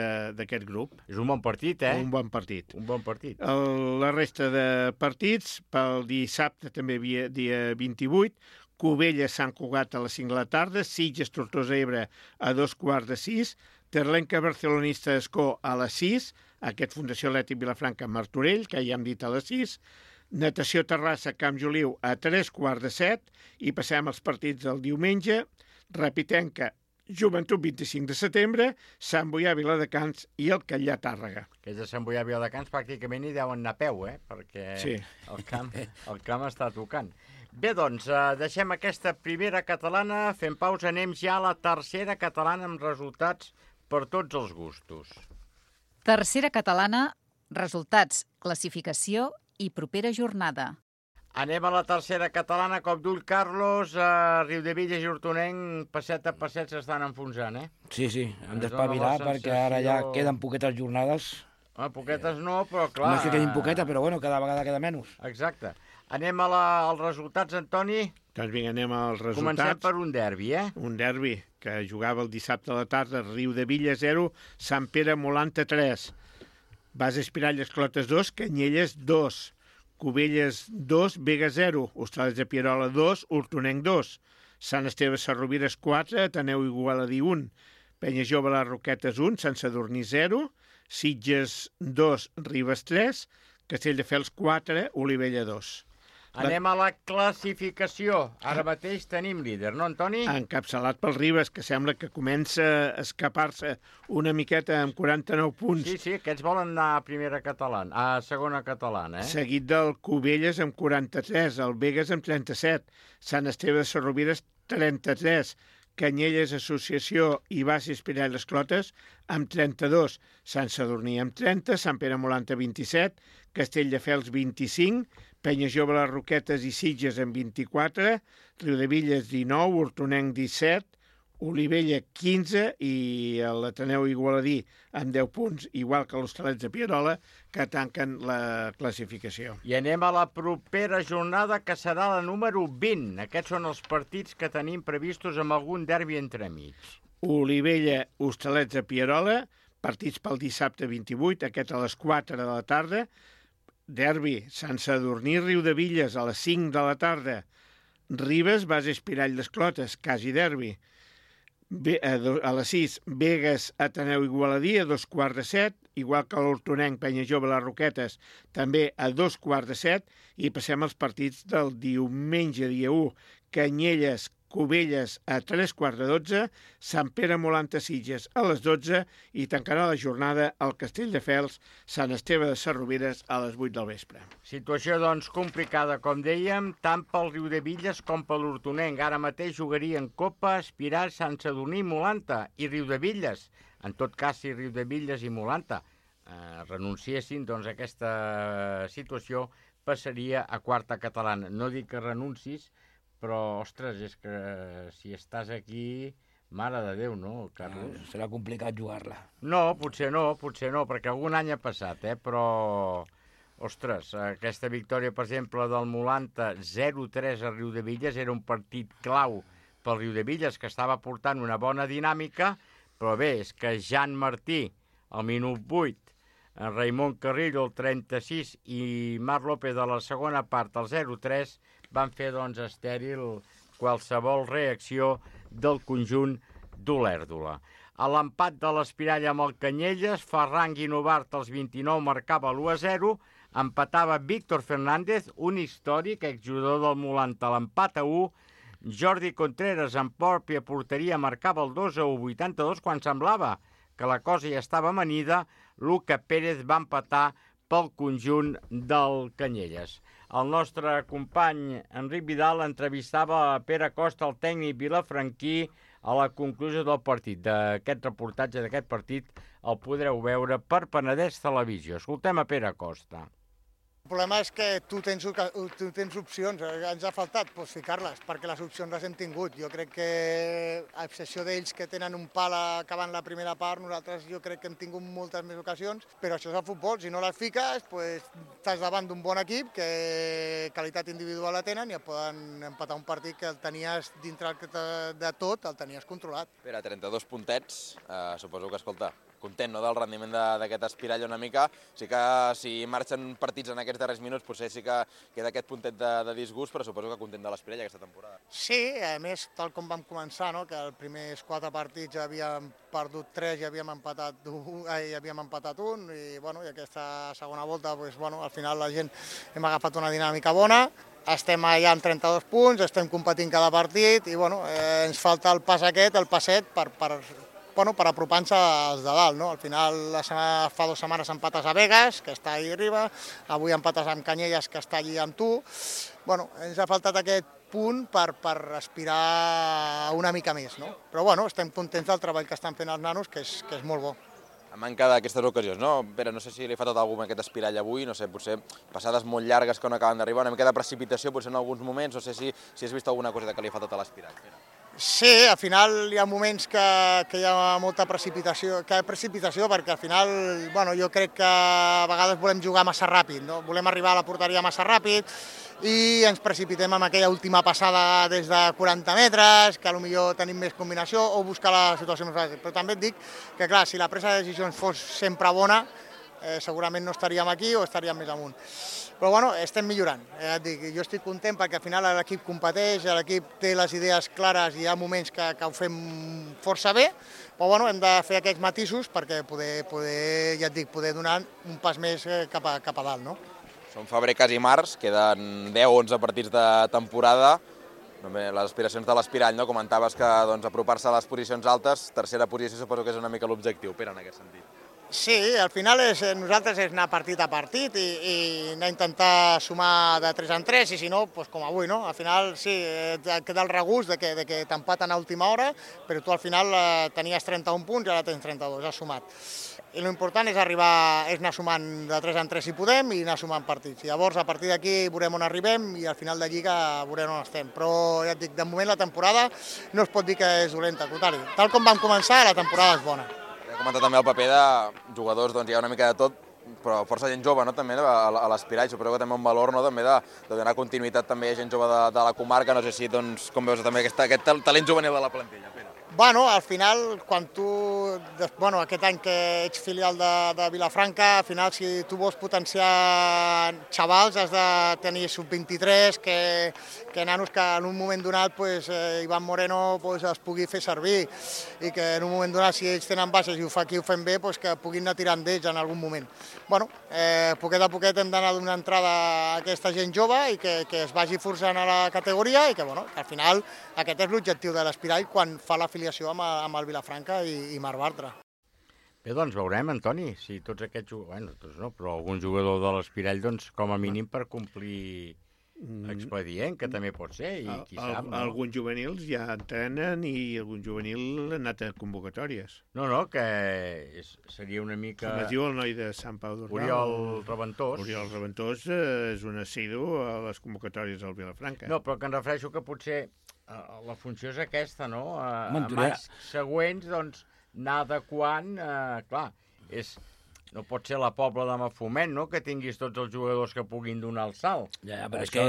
grup. És un bon partit, Un bon partit. Un bon partit. La resta de partits, pel dissabte també dia 28, Cubelles, Sant Cugat a les 5 de la tarda, Sitges, Tortosa Ebre a 2:15, Terlenca Barcelonista Escó a les 6, aquest Fundació Atlètic Vilafranca Martorell, que ja hem dit a les 6, Natació Terrassa Camp Joliu a 3:15 i passem als partits del diumenge, Repitenca Joventut 25 de setembre, Sant Boià Viladecans i el Alcallà Tàrrega. Aquests de Sant Boià Viladecans pràcticament hi deuen anar a peu, perquè sí. el camp està tocant. Bé, doncs, deixem aquesta primera catalana, fem pausa, anem ja a la tercera catalana amb resultats per tots els gustos. Tercera catalana, resultats, classificació i propera jornada. Anem a la tercera catalana, cop d'ull, Carlos, Riudebitlles i Hortonenc, passet a passet s'estan enfonsant, Sí, hem d'espavilar perquè ara ja queden poquetes jornades. Poquetes no, però clar... No és que quedin poquetes, però bueno, cada vegada queda menys. Exacte. Anem als resultats, Antoni? Doncs vinga, anem als resultats. Comencem per un derbi, Un derbi que jugava el dissabte a la tarda, Riudebitlles 0, Sant Pere Molanta 3, Base Espiralles Clotes 2, Canyelles 2, Cubelles 2, Vega 0, Hostales de Pierola 2, Hortonenc 2, Sant Esteve Sarrovires 4, Ateneu Igualadí 1, Penya Jove Les Roquetes 1, Sant Sadurní 0, Sitges 2, Ribes 3, Castelldefels 4, Olivella 2. Anem a la classificació. Ara mateix tenim líder, no, Antoni? Encapçalat pel Ribes, que sembla que comença a escapar-se una miqueta amb 49 punts. Sí, aquests volen anar a primera catalana, a segona catalana, Seguit del Cubelles amb 43, el Vegas amb 37, Sant Esteve de Sarrovires 33, Canyelles Associació i Base Espirall Les Clotes amb 32, Sant Sadurní amb 30, Sant Pere Molant amb 27, Castelldefels 25, Penya Jove Les Roquetes i Sitges amb 24, Riudevilles 19, Hortonenc 17, Olivella 15 i l'Ateneu Igualadí amb 10 punts, igual que l'Hostalets de Pierola, que tanquen la classificació. I anem a la propera jornada, que serà la número 20. Aquests són els partits que tenim previstos amb algun derbi entremig. Olivella, Hostalets de Pierola, partits pel dissabte 28, aquest a les 4 de la tarda. Derbi, Sant Sadurní, Riudevilles, a les 5 de la tarda. Ribes, Base Espirall Les Clotes, quasi derbi. A les 6, Begues, Ateneu Igualadí, a 2:15, igual que l'Hortonenc, Penya Jove, Les Roquetes, també a 2:15, i passem als partits del diumenge, dia 1, Canyelles, Cubelles, a 3:15, Sant Pere Molant a Sitges, a les 12, i tancarà la jornada al Castelldefels, Sant Esteve de Sarroveres, a les 8 del vespre. Situació, doncs, complicada, com dèiem, tant pel Riudevilles com per l'Hortonenc. Ara mateix jugarien Copa, Espiral, Sant Sadurní, Molanta i Riudevilles. En tot cas, si Riudevilles i Molanta renunciessin, doncs aquesta situació passaria a quarta catalana. No dic que renuncis, però, ostres, és que si estàs aquí, mare de Déu, no, Carlos? Serà complicat jugar-la. No, potser no, perquè algun any ha passat, però, ostres, aquesta victòria, per exemple, del Molanta 0-3 a Riudevilles era un partit clau pel Riudevilles, que estava portant una bona dinàmica, però bé, és que Jan Martí, al minut 8, en Raimon Carrillo, el 36, i Marc López de la segona part, el 0-3, van fer, doncs, estèril qualsevol reacció del conjunt d'Olèrdola. A l'empat de l'Espirall amb el Canyelles, Ferran Guinovart, als 29, marcava l'1-0, empatava Víctor Fernández, un històric exjugador del Molanta, l'empat a 1, Jordi Contreras, en pròpia porteria, marcava el 2-1, 82, quan semblava que la cosa ja estava amanida. Luca Pérez va empatar pel conjunt del Canyelles. El nostre company Enric Vidal entrevistava a Pere Costa, el tècnic vilafranquí, a la conclusió del partit. D'aquest reportatge d'aquest partit el podreu veure per Penedès Televisió. Escoltem a Pere Costa. El problema és que tu tens opcions, ens ha faltat ficar-les, perquè les opcions les hem tingut. Jo crec que, a excepció d'ells que tenen un pal acabant la primera part, nosaltres jo crec que hem tingut moltes més ocasions, però això és el futbol, si no les fiques, estàs davant d'un bon equip que qualitat individual la tenen i et poden empatar un partit que el tenies dintre de tot, el tenies controlat. Pere, 32 puntets, suposo que, escolta, content, no, del rendiment d'aquest Espirall una mica. Sí que si marxen partits en aquests darrers minuts potser sí que queda aquest puntet de disgust, però suposo que content de l'Espirall aquesta temporada. Sí, a més, tal com vam començar, no, que els primers 4 partits ja havíem perdut 3 i havíem empatat un, i aquesta segona volta, al final la gent hem agafat una dinàmica bona. Estem allà amb 32 punts, estem competint cada partit i ens falta el pas aquest, el passet, per apropar-nos als de dalt. Al final, fa 2 setmanes empates a Begues, que està allà arriba, avui empates amb Canyelles, que està allà amb tu. Ens ha faltat aquest punt per aspirar una mica més, no? Però estem contents del treball que estan fent els nanos, que és molt bo. A manca d'aquestes ocasions, no? Pere, no sé si li ha faltat alguna aquest Espirall avui, no sé, potser passades molt llargues que no acaben d'arribar, una mica de precipitació potser en alguns moments, no sé si has vist alguna cosa que li ha faltat a l'Espirall. Sí, al final hi ha moments que hi ha molta precipitació, perquè al final jo crec que a vegades volem jugar massa ràpid, no? Volem arribar a la porteria massa ràpid i ens precipitem amb aquella última passada des de 40 metres, que potser tenim més combinació o buscar la situació més fàcil. Però també et dic que, clar, si la presa de decisions fos sempre bona, segurament no estaríem aquí o estaríem més amunt. Però estem millorant. Jo estic content perquè al final l'equip competeix, l'equip té les idees clares i hi ha moments que ho fem força bé, però hem de fer aquests matisos perquè poder donar un pas més cap a dalt, no? Són febrer, quasi març, queden 10-11 partits de temporada. Les aspiracions de l'Espirall, no? Comentaves que apropar-se a les posicions altes, tercera posició suposo que és una mica l'objectiu, Pere, en aquest sentit. Sí, al final nosaltres és anar partit a partit i anar a intentar sumar de 3 en 3 i si no, doncs com avui, no? Al final sí, queda el regust de que t'empaten a última hora, però tu al final tenies 31 punts i ara tens 32, has sumat. I l'important és anar sumant de 3 en 3 si podem i anar sumant partits. Llavors, a partir d'aquí veurem on arribem i al final de Lliga veurem on estem. Però ja et dic, de moment la temporada no es pot dir que és dolenta, al contrari. Tal com vam començar, la temporada és bona. He comentat també el paper de jugadors, doncs hi ha una mica de tot, però força gent jove, no? També a l'Espirall, suposo que també un valor, no? També de donar continuïtat també a gent jove de la comarca, no sé si, doncs, com veus també aquest talent juvenil de la plantilla, Pere? Bueno, al final, quan tu, aquest any que ets filial de Vilafranca, al final, si tu vols potenciar xavals, has de tenir sub-23, que nanos que en un moment donat Ivan Moreno es pugui fer servir i que en un moment donat, si ells tenen baixes i aquí ho fem bé, que puguin anar tirant d'ells en algun moment. Bueno, poquet a poquet hem d'anar donant entrada a aquesta gent jove i que es vagi forçant a la categoria i que al final aquest és l'objectiu de l'Espirall quan fa l'afiliació amb el Vilafranca i Marc Bartra. Bé, doncs veurem, Antoni, si tots aquests jugadors, bueno, tots no, però algun jugador de l'Espirall, doncs, com a mínim per complir expedient, que també pot ser, i qui sap, no? Alguns juvenils ja entrenen i algun juvenil ha anat a convocatòries. No, que seria una mica... Com es diu el noi de Sant Pau d'Ordal? Oriol Reventós. Oriol Reventós és un assidu a les convocatòries del Vilafranca. No, però que em refereixo que potser la funció és aquesta, no? A anys següents, doncs, anar adequant, clar, no pot ser la Pobla de Mafumet, no?, que tinguis tots els jugadors que puguin donar el salt. Ja, però és que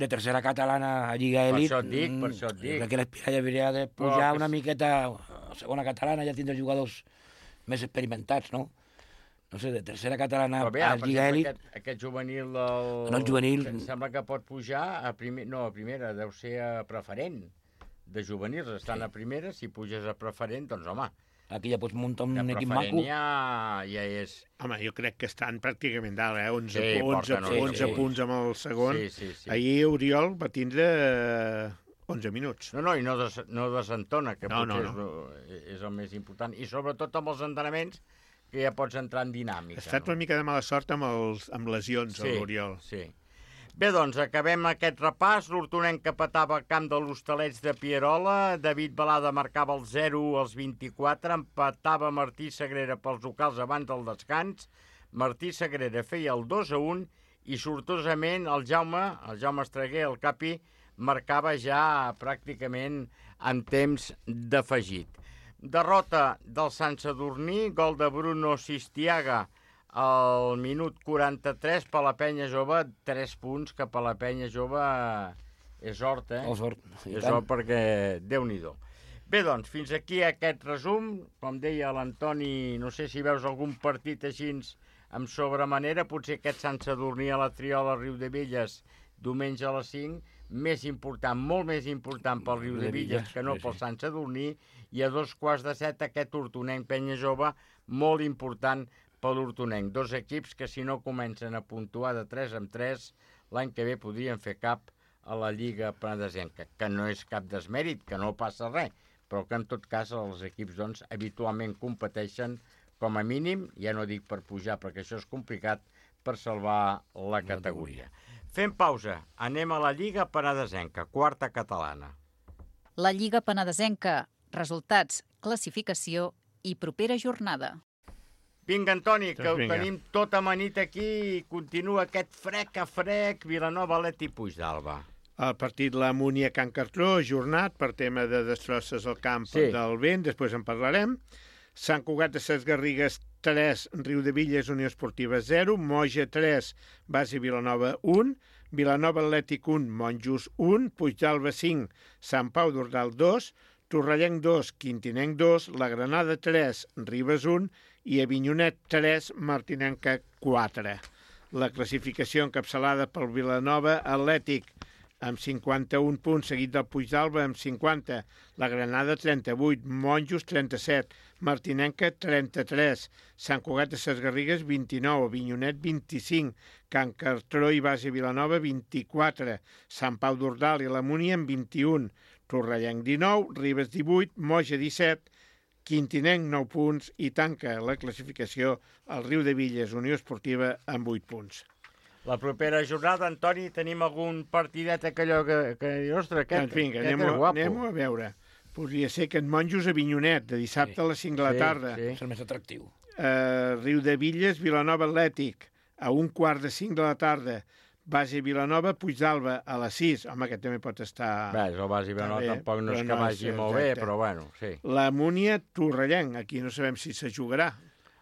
de tercera catalana a Lliga Elit... Per això et dic. Crec que l'Espirall hauria de pujar una miqueta a segona catalana, ja tindre jugadors més experimentats, no? No sé, de tercera catalana a Lliga Elit... Aquest juvenil em sembla que pot pujar a primera, deu ser a preferent de juvenils. Estan a primera, si puges a preferent, doncs home... Aquí ja pots muntar un equip maco. Ja és... Home, jo crec que estan pràcticament dalt, 11 punts amb el segon. Sí. Ahir Oriol va tindre 11 minuts. No, i no desentona, que potser és el més important. I sobretot amb els entrenaments, que ja pots entrar en dinàmica. Ha estat una mica de mala sort amb lesions, l'Oriol. Sí. Bé, doncs, acabem aquest repàs. L'Hortonenc que petava al camp de l'Hostalets de Pierola. David Balada marcava el 0 als 24. Empatava Martí Sagrera pels locals abans del descans. Martí Sagrera feia el 2-1 i sortosament el Jaume Estreguer, el capi, marcava ja pràcticament en temps d'afegit. Derrota del Sant Sadurní, gol de Bruno Sistiaga al minut 43 per la Penya Jove, 3 punts, que per la Penya Jove és hort, És hort perquè Déu-n'hi-do. Bé, doncs, fins aquí aquest resum. Com deia l'Antoni, no sé si veus algun partit així amb sobremanera, potser aquest Sant Sadurní a la Triola Riudebitlles, diumenge a les 5, més important, molt més important pel Riudebitlles que no pel Sant Sadurní, i a 6:15 aquest Hortonenc Penya Jove, molt important per l'Hortonenc. 2 equips que si no comencen a puntuar de 3 en 3, l'any que ve podrien fer cap a la Lliga Penedesenca, que no és cap desmèrit, que no passa res, però que en tot cas els equips doncs, habitualment competeixen com a mínim, ja no dic per pujar perquè això és complicat, per salvar la categoria. Fem pausa, anem a la Lliga Penedesenca, 4a catalana. La Lliga Penedesenca, resultats, classificació i propera jornada. Vinga, Antoni, que ho tenim tot amanit aquí i continua aquest frec a frec, Vilanova, Atleti i Puigdàlber. El partit la Múnia Can Cartró, ajornat per tema de destrosses al camp del vent, després en parlarem. Sant Cugat de Ses Garrigues 3, Riudebitlles Unió Esportiva 0, Moja 3, Base Vilanova 1, Vilanova Atlètic 1, Monjos 1, Puigdàlber 5, Sant Pau d'Ordal 2, Torrellenc 2, Quintinenc 2, La Granada 3, Ribes 1 i Avinyonet 3, Martinenca 4. La classificació encapçalada pel Vilanova Atlètic amb 51 punts, seguit del Puigdàlber amb 50, La Granada 38, Monjos 37, Martinenca 33, Sant Cugat de Ses Garrigues 29, Avinyonet 25, Can Cartró i Base Vilanova 24, Sant Pau d'Ordal i la Múnia amb 21, Torrellenc 19, Ribes 18, Moja 17, Quintinenc 9 punts i tanca la classificació el Riu de Villes Unió Esportiva amb 8 punts. La propera jornada, Antoni, tenim algun partidet allò que dius, ostres, Doncs vinga, anem-ho a veure. Podria ser Can Monjos a Vinyonet, de dissabte a les 5 de la tarda. Sí. És el més atractiu. Riu de Villes, Vilanova Atlètic, a 1:45 de la tarda. Base Vilanova, Puigdàlber, a les 6. Home, aquest també pot estar... Bé, el Base Vilanova tampoc no és que vagi molt bé, però bueno, sí. La Múnia Torrellenc, aquí no sabem si se jugarà.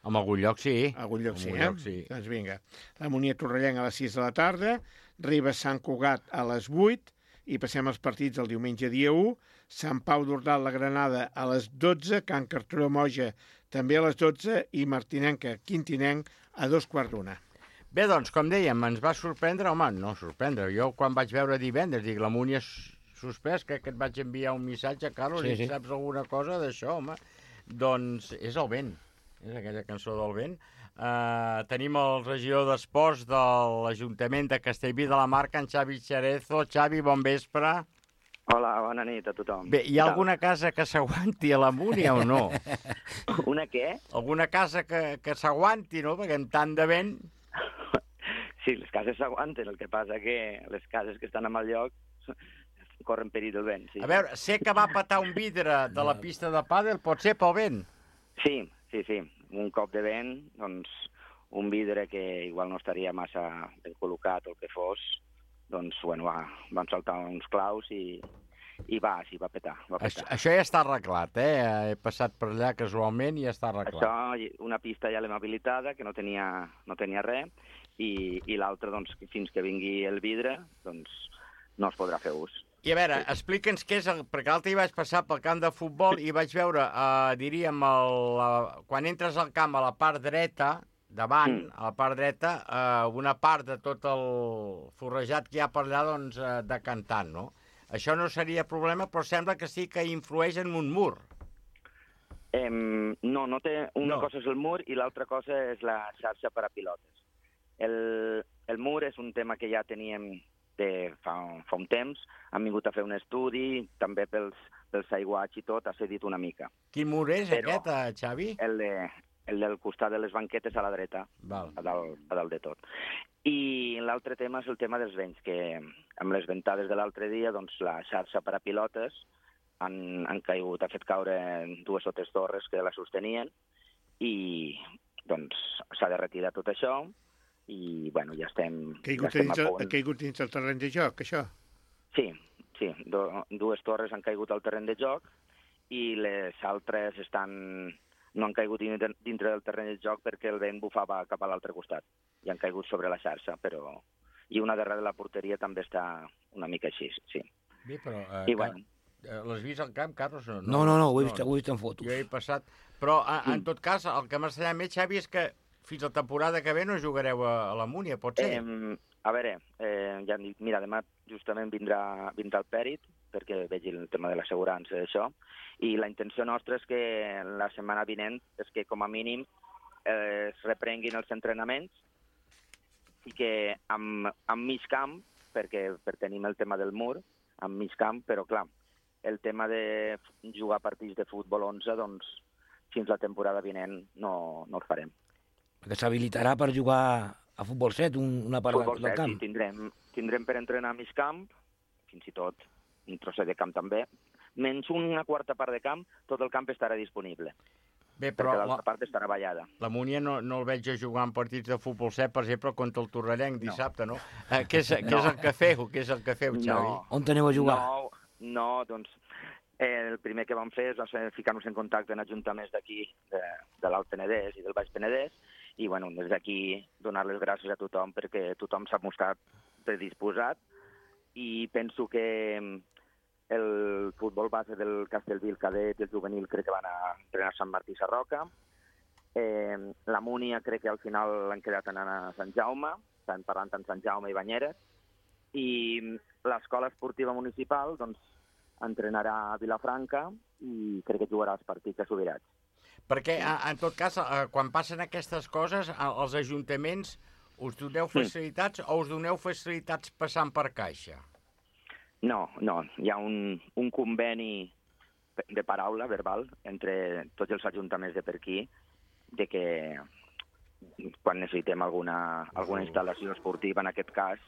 En algun lloc sí. En algun lloc sí. Doncs vinga. La Múnia Torrellenc a les 6 de la tarda, Ribes Sant Cugat a les 8, i passem als partits el diumenge dia 1, Sant Pau d'Ordal, la Granada a les 12, Can Cartró Moja també a les 12 i Martinenca Quintinenc a 2:15. Bé, doncs, com dèiem, ens va sorprendre, home, no sorprendre, jo quan vaig veure divendres, dic, la Múnia suspès, crec que et vaig enviar un missatge, Carlos, sí. Saps alguna cosa d'això, home? Doncs és el vent. És aquella cançó del vent. Tenim el regidor d'Esports de l'Ajuntament de Castellví de la Marca, en Xavi Xarezo. Xavi, bon vespre. Hola, bona nit a tothom. Bé, hi ha alguna casa que s'aguanti a la Múnia o no? Una què? Alguna casa que s'aguanti, no? Perquè amb tant de vent... Sí, les cases s'aguanten, el que passa que les cases que estan en el lloc corren perill del vent, sí. A veure, sé que va petar un vidre de la pista de pàdel, pot ser pel vent? Sí. Un cop de vent, doncs un vidre que igual no estaria massa ben col·locat o el que fos, doncs, bueno, van saltar uns claus i va petar. Això ja està arreglat, He passat per allà casualment i ja està arreglat. Això, una pista ja l'hem habilitada, que no tenia res, i l'altra, doncs, fins que vingui el vidre, doncs no es podrà fer ús. I a veure, explica'ns què és, perquè l'altre hi vaig passar pel camp de futbol i vaig veure, diríem, quan entres al camp a la part dreta, davant, a la part dreta, una part de tot el forrejat que hi ha per allà, doncs, decantant, no? Això no seria problema, però sembla que sí que influeix en un mur. No té... Una cosa és el mur i l'altra cosa és la xarxa per a pilotes. El mur és un tema que ja teníem fa un temps, han vingut a fer un estudi, també pels aiguats i tot, ha cedit una mica. Quin mur és aquest, Xavi? El del costat de les banquetes a la dreta, a dalt de tot. I l'altre tema és el tema dels vents, que amb les ventades de l'altre dia, doncs la xarxa per a pilotes han caigut, ha fet caure 2 o 3 torres que la sostenien i doncs s'ha de retirar tot això. I, bueno, ja estem... Ha caigut dins el terreny de joc, això? Sí. 2 torres han caigut al terreny de joc i les altres no han caigut dintre del terreny de joc perquè el vent bufava cap a l'altre costat i han caigut sobre la xarxa, però... I una darrere de la porteria també està una mica així, sí. Bé, però... I, bueno... L'has vist al camp, Carlos? No, ho he vist en fotos. Jo he passat... Però, en tot cas, el que m'ha més, Xavi, és que fins la temporada que ve no jugareu a la Múnia, pot ser? A veure, ja hem dit, mira, demà justament vindrà el Pèrit, perquè vegi el tema de l'assegurança i això, i la intenció nostra és que la setmana vinent és que com a mínim es reprenguin els entrenaments i que amb mig camp, perquè tenim el tema del mur, amb mig camp, però clar, el tema de jugar partits de futbol 11, doncs fins la temporada vinent no el farem. Que s'habilitarà per jugar a futbol 7, una part del camp. Sí, tindrem per entrenar a mig camp, fins i tot un trosset de camp també, menys una quarta part de camp, tot el camp estarà disponible. Bé, però perquè l'altra part estarà ballada. La Múnia no el veig a jugar en partits de futbol 7, per exemple, contra el Torrellenc dissabte, no? Què és el que feu? Què és el que feu, Xavi? On aneu a jugar? No, doncs el primer que vam fer és ficar-nos en contacte en ajuntaments d'aquí, de l'Alt Penedès i del Baix Penedès, i bueno, des d'aquí donar les gràcies a tothom perquè tothom s'ha mostrat predisposat i penso que el futbol base del Castellví, el cadet i el juvenil crec que van a entrenar a Sant Martí Sarroca. La Múnia crec que al final han quedat anant a Sant Jaume, estan parlant amb Sant Jaume i Banyeres, i l'escola esportiva municipal doncs entrenarà a Vilafranca i crec que jugarà els partits a Subirats. Perquè, en tot cas, quan passen aquestes coses, els ajuntaments us doneu facilitats o us doneu facilitats passant per caixa? No, hi ha un conveni de paraula verbal entre tots els ajuntaments de per aquí, de que quan necessitem alguna instal·lació esportiva, en aquest cas,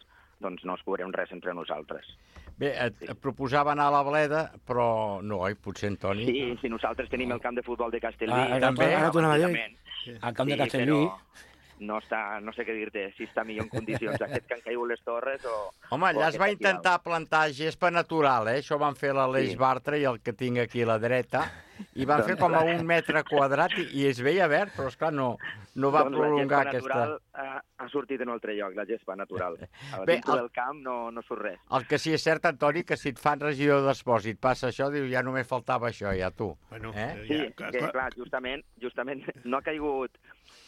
doncs no es cobrem res entre nosaltres. Bé, et proposava anar a la Bleda, però no, potser, Antoni... Sí, si nosaltres tenim el camp de futbol de Castellví... També. Ara t'ho anava a dir. El camp de Castellví... No sé què dir-te, si està millor en condicions aquest que han caigut les torres o... Home, allà es va intentar plantar gespa natural, Això van fer l'Aleix Bartra i el que tinc aquí a la dreta, i van fer com a 1 metre quadrat i es veia verd, però esclar, no va prolongar aquesta... La gespa natural ha sortit en un altre lloc, la gespa natural. Dintre del camp no surt res. El que sí és cert, Antoni, que si et fan regidor d'Esports i et passa això, dius, ja només faltava això, ja tu. Sí, que clar, justament no ha caigut...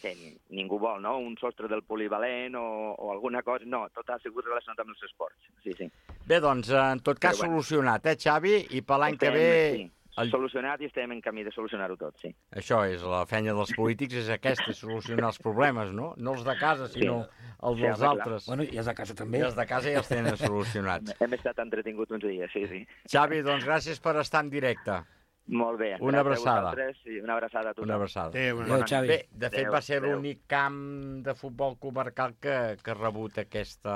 que ningú vol, no? Un sostre del polivalent o alguna cosa. No, tot ha sigut relacionat amb els esports. Sí. Bé, doncs, en tot cas, solucionat, Xavi? I per l'any que ve... Sí. Solucionat i estem en camí de solucionar-ho tot, sí. Això és, la feina dels polítics és aquesta, solucionar els problemes, no? No els de casa, sinó els dels altres. Bueno, i els de casa també. I els de casa ja els tenen solucionats. Hem estat entretinguts uns dies, sí. Xavi, doncs gràcies per estar en directe. Molt bé. Una abraçada. Una abraçada a tothom. Una abraçada. Xavi. Bé, de fet va ser l'únic camp de futbol comarcal que ha rebut aquesta...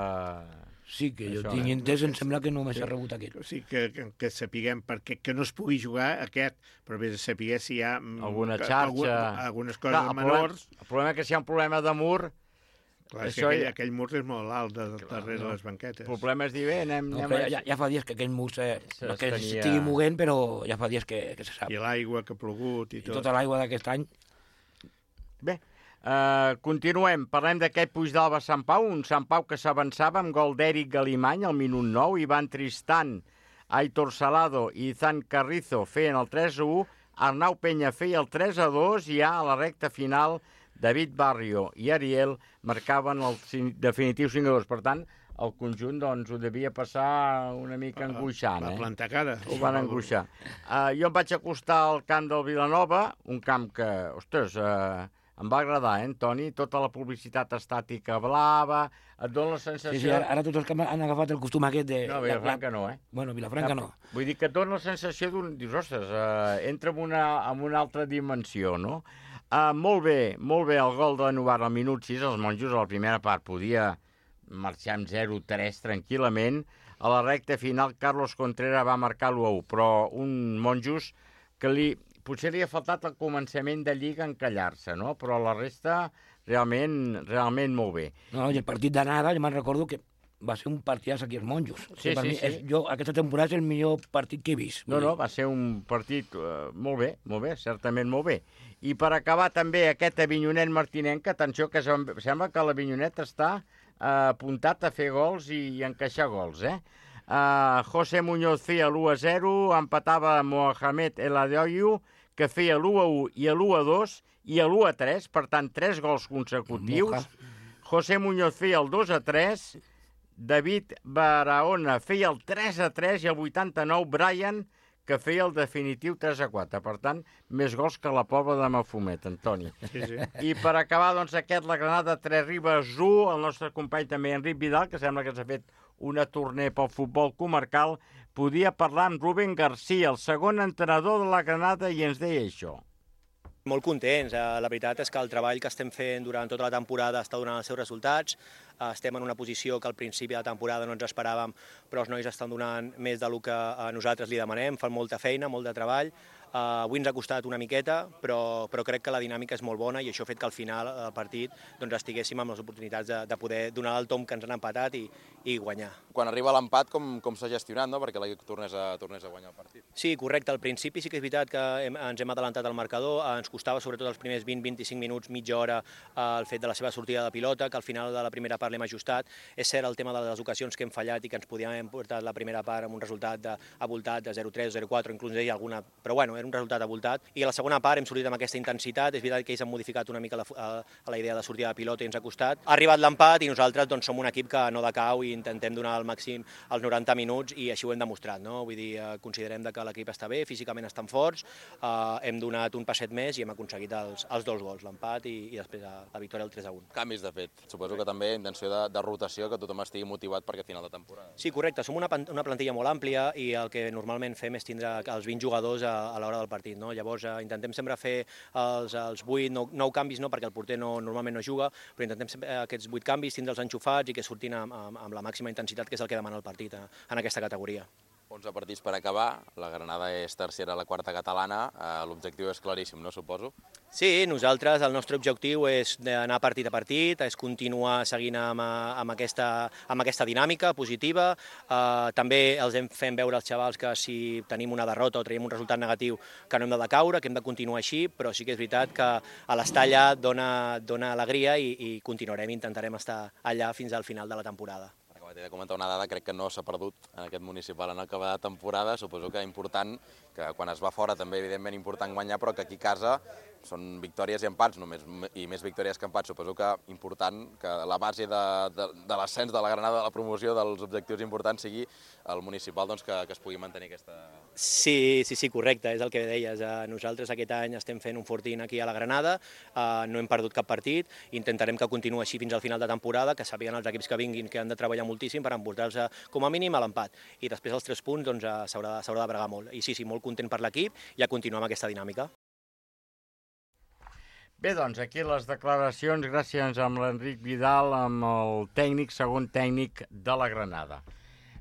Sí, que jo tinc entès, em sembla que només s'ha rebut aquest. Sí, que sapiguem perquè que no es pugui jugar aquest, però bé, saber si hi ha... alguna xarxa... Algunes coses menors... El problema és que si hi ha un problema de mur... Clar, és que aquell mur és molt alt darrere les banquetes. El problema és dir, bé, anem... Ja fa dies que aquell mur que estigui moguent, però ja fa dies que se sap. I l'aigua que ha plogut i tot. I tota l'aigua d'aquest any. Bé, continuem. Parlem d'aquest Puigdàlber Sant Pau, un Sant Pau que s'avançava amb gol d'Eric Galimany al minut 9, Ivan Tristan, Aitor Salado i Izan Carrizo feien el 3-1, Arnau Peña feia el 3-2 i ja a la recta final David Barrio i Ariel marcaven el definitiu 5-2. Per tant, el conjunt doncs, ho devia passar una mica angoixant. Va plantar cara. Ho van angoixar. Jo em vaig acostar al camp del Vilanova, un camp que, ostres, em va agradar, Toni? Tota la publicitat estàtica blava, et dona la sensació... Sí, ara tots els que han agafat el costum aquest de... No, Vilafranca no, Bueno, Vilafranca no. Vull dir que et dona la sensació d'un... Dius, ostres, entra en una altra dimensió, no? Molt bé, el gol de Novara al minut 6, els monjos a la primera part podia marxar amb 0-3 tranquil·lament. A la recta final Carlos Contreras va marcar l'1-1, però un monjos que potser li ha faltat al començament de Lliga encallar-se, no? Però la resta realment molt bé. No, i el partit d'anada, jo me'n recordo que va ser un partidàs aquí als monjos. Sí. Aquesta temporada és el millor partit que he vist. No, va ser un partit molt bé, certament molt bé. I per acabar també aquest Avinyonet Martinenc, atenció, que sembla que l'Avinyonet està apuntat a fer gols i encaixar gols, José Muñoz feia l'1-0, empatava Mohamed El Adeoyu, que feia l'1-1 i l'1-2 i l'1-3, per tant, 3 gols consecutius. José Muñoz feia el 2-3, David Barahona feia el 3-3 i el 89 Brian, que feia el definitiu 3-4. Per tant, més gols que la Pobla de Mafumet, Antoni. Sí. I per acabar, doncs, la Granada 3 Ribes 1, el nostre company també, Enric Vidal, que sembla que s'ha fet una tournée pel futbol comarcal, podia parlar amb Rubén García, el segon entrenador de la Granada, i ens deia això. Molt contents. La veritat és que el treball que estem fent durant tota la temporada està donant els seus resultats. Estem en una posició que al principi de la temporada no ens esperàvem, però els nois estan donant més del que nosaltres li demanem, fan molta feina, molt de treball. Avui ens ha costat una miqueta, però crec que la dinàmica és molt bona i això ha fet que al final del partit estiguéssim amb les oportunitats de poder donar el tomb que ens han empatat i guanyar. Quan arriba l'empat, com s'ha gestionat, no? Perquè l'equip tornés a guanyar el partit? Sí, correcte. Al principi sí que és veritat que ens hem adelantat al marcador. Ens costava sobretot els primers 20-25 minuts, mitja hora, el fet de la seva sortida de pilota, que al final de la primera part l'hem ajustat. És cert el tema de les ocasions que hem fallat i que ens podíem haver portat la primera part amb un resultat avoltat de 0-3 o 0-4, inclús deia alguna... Però bueno, era un resultat avoltat. I a la segona part hem sortit amb aquesta intensitat. És veritat que ells han modificat una mica la idea de sortida de pilota i ens ha costat. Ha arribat l'empat i nosaltres som un equip que no decau i intentem donar al màxim els 90 minuts i així ho hem demostrat. No? Vull dir, considerem que l'equip està bé, físicament estan forts, hem donat un passet més i hem aconseguit els 2 gols, l'empat i després la victòria del 3-1. Canvis, de fet. Suposo que també intenció de rotació, que tothom estigui motivat per aquest final de temporada. Sí, correcte. Som una plantilla molt àmplia i el que normalment fem és tindre els 20 jugadors a l'hora del partit. No? Llavors intentem sempre fer els 8, 9 canvis, no? Perquè el porter normalment no juga, però intentem sempre aquests 8 canvis, tindre'ls enxufats i que surtin amb la màxima intensitat, que és el que demana el partit en aquesta categoria. 11 partits per acabar, la Granada és tercera a la quarta catalana, l'objectiu és claríssim, no, suposo? Sí, nosaltres, el nostre objectiu és anar partit a partit, és continuar seguint amb aquesta dinàmica positiva. També els fem veure als xavals que si tenim una derrota o traiem un resultat negatiu que no hem de decaure, que hem de continuar així, però sí que és veritat que a l'estar allà dona alegria i continuarem, intentarem estar allà fins al final de la temporada. T'he de comentar una dada, crec que no s'ha perdut en aquest municipal en acabar de temporada, suposo que important, que quan es va fora també evidentment important guanyar, però que aquí a casa són victòries i empats només, i més victòries que empats. Suposo que important que la base de l'ascens de la Granada, de la promoció, dels objectius importants sigui el municipal, doncs, que es pugui mantenir aquesta... Sí, correcte, és el que deies. Nosaltres aquest any estem fent un fortín aquí a la Granada, no hem perdut cap partit, intentarem que continuï així fins al final de temporada, que sàpiguen els equips que vinguin que han de treballar moltíssim per emportar-se com a mínim a l'empat. I després els 3 punts doncs, s'haurà de bregar molt. I sí, molt content per l'equip i a continuar amb aquesta dinàmica. Bé, doncs, aquí les declaracions, gràcies amb l'Enric Vidal, amb el tècnic, segon tècnic de la Granada.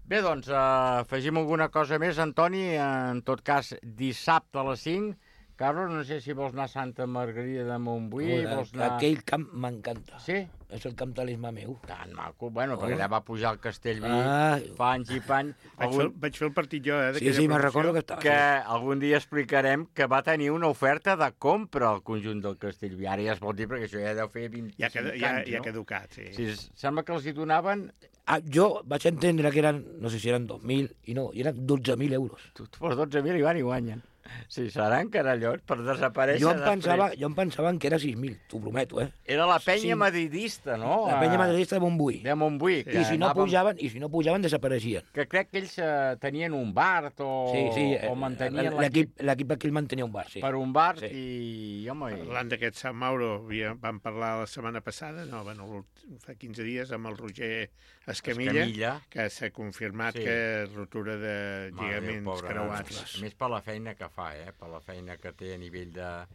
Bé, doncs, afegim alguna cosa més, Antoni, en tot cas, dissabte a les 5. Carlos, no sé si vols anar a Santa Margarida de Montbui, vols anar... Aquell camp m'encanta. Sí? És el camp talismà meu. Tan maco. Bueno, perquè allà va pujar al Castellví, fa anys i pany. Vaig fer el partit jo, Sí, me'n recordo que estava. Que algun dia explicarem que va tenir una oferta de compra al conjunt del Castellví. Ara ja es pot dir, perquè això ja deu fer 25 anys, ja ha caducat, sí. Sí, sembla que els hi donaven... Jo vaig entendre que eren, no sé si eren 2.000, i no, i eren 12.000 euros. Per 12.000 i van i guanyen. Sí, seran carallots per desaparèixer jo em pensava que era 6.000, t'ho prometo, Era la penya madridista, no? La penya madridista de Montbui. De Montbui. I si no pujaven, desapareixien. Que crec que ells tenien un bar o mantenien l'equip aquí el mantenia un bar, sí. Per un bar i... Parlant d'aquest Sant Mauro, vam parlar la setmana passada, fa 15 dies, amb el Roger Escamilla, que s'ha confirmat que rotura de lligaments creuats. A més, per la feina que fa, per la feina que té a nivell de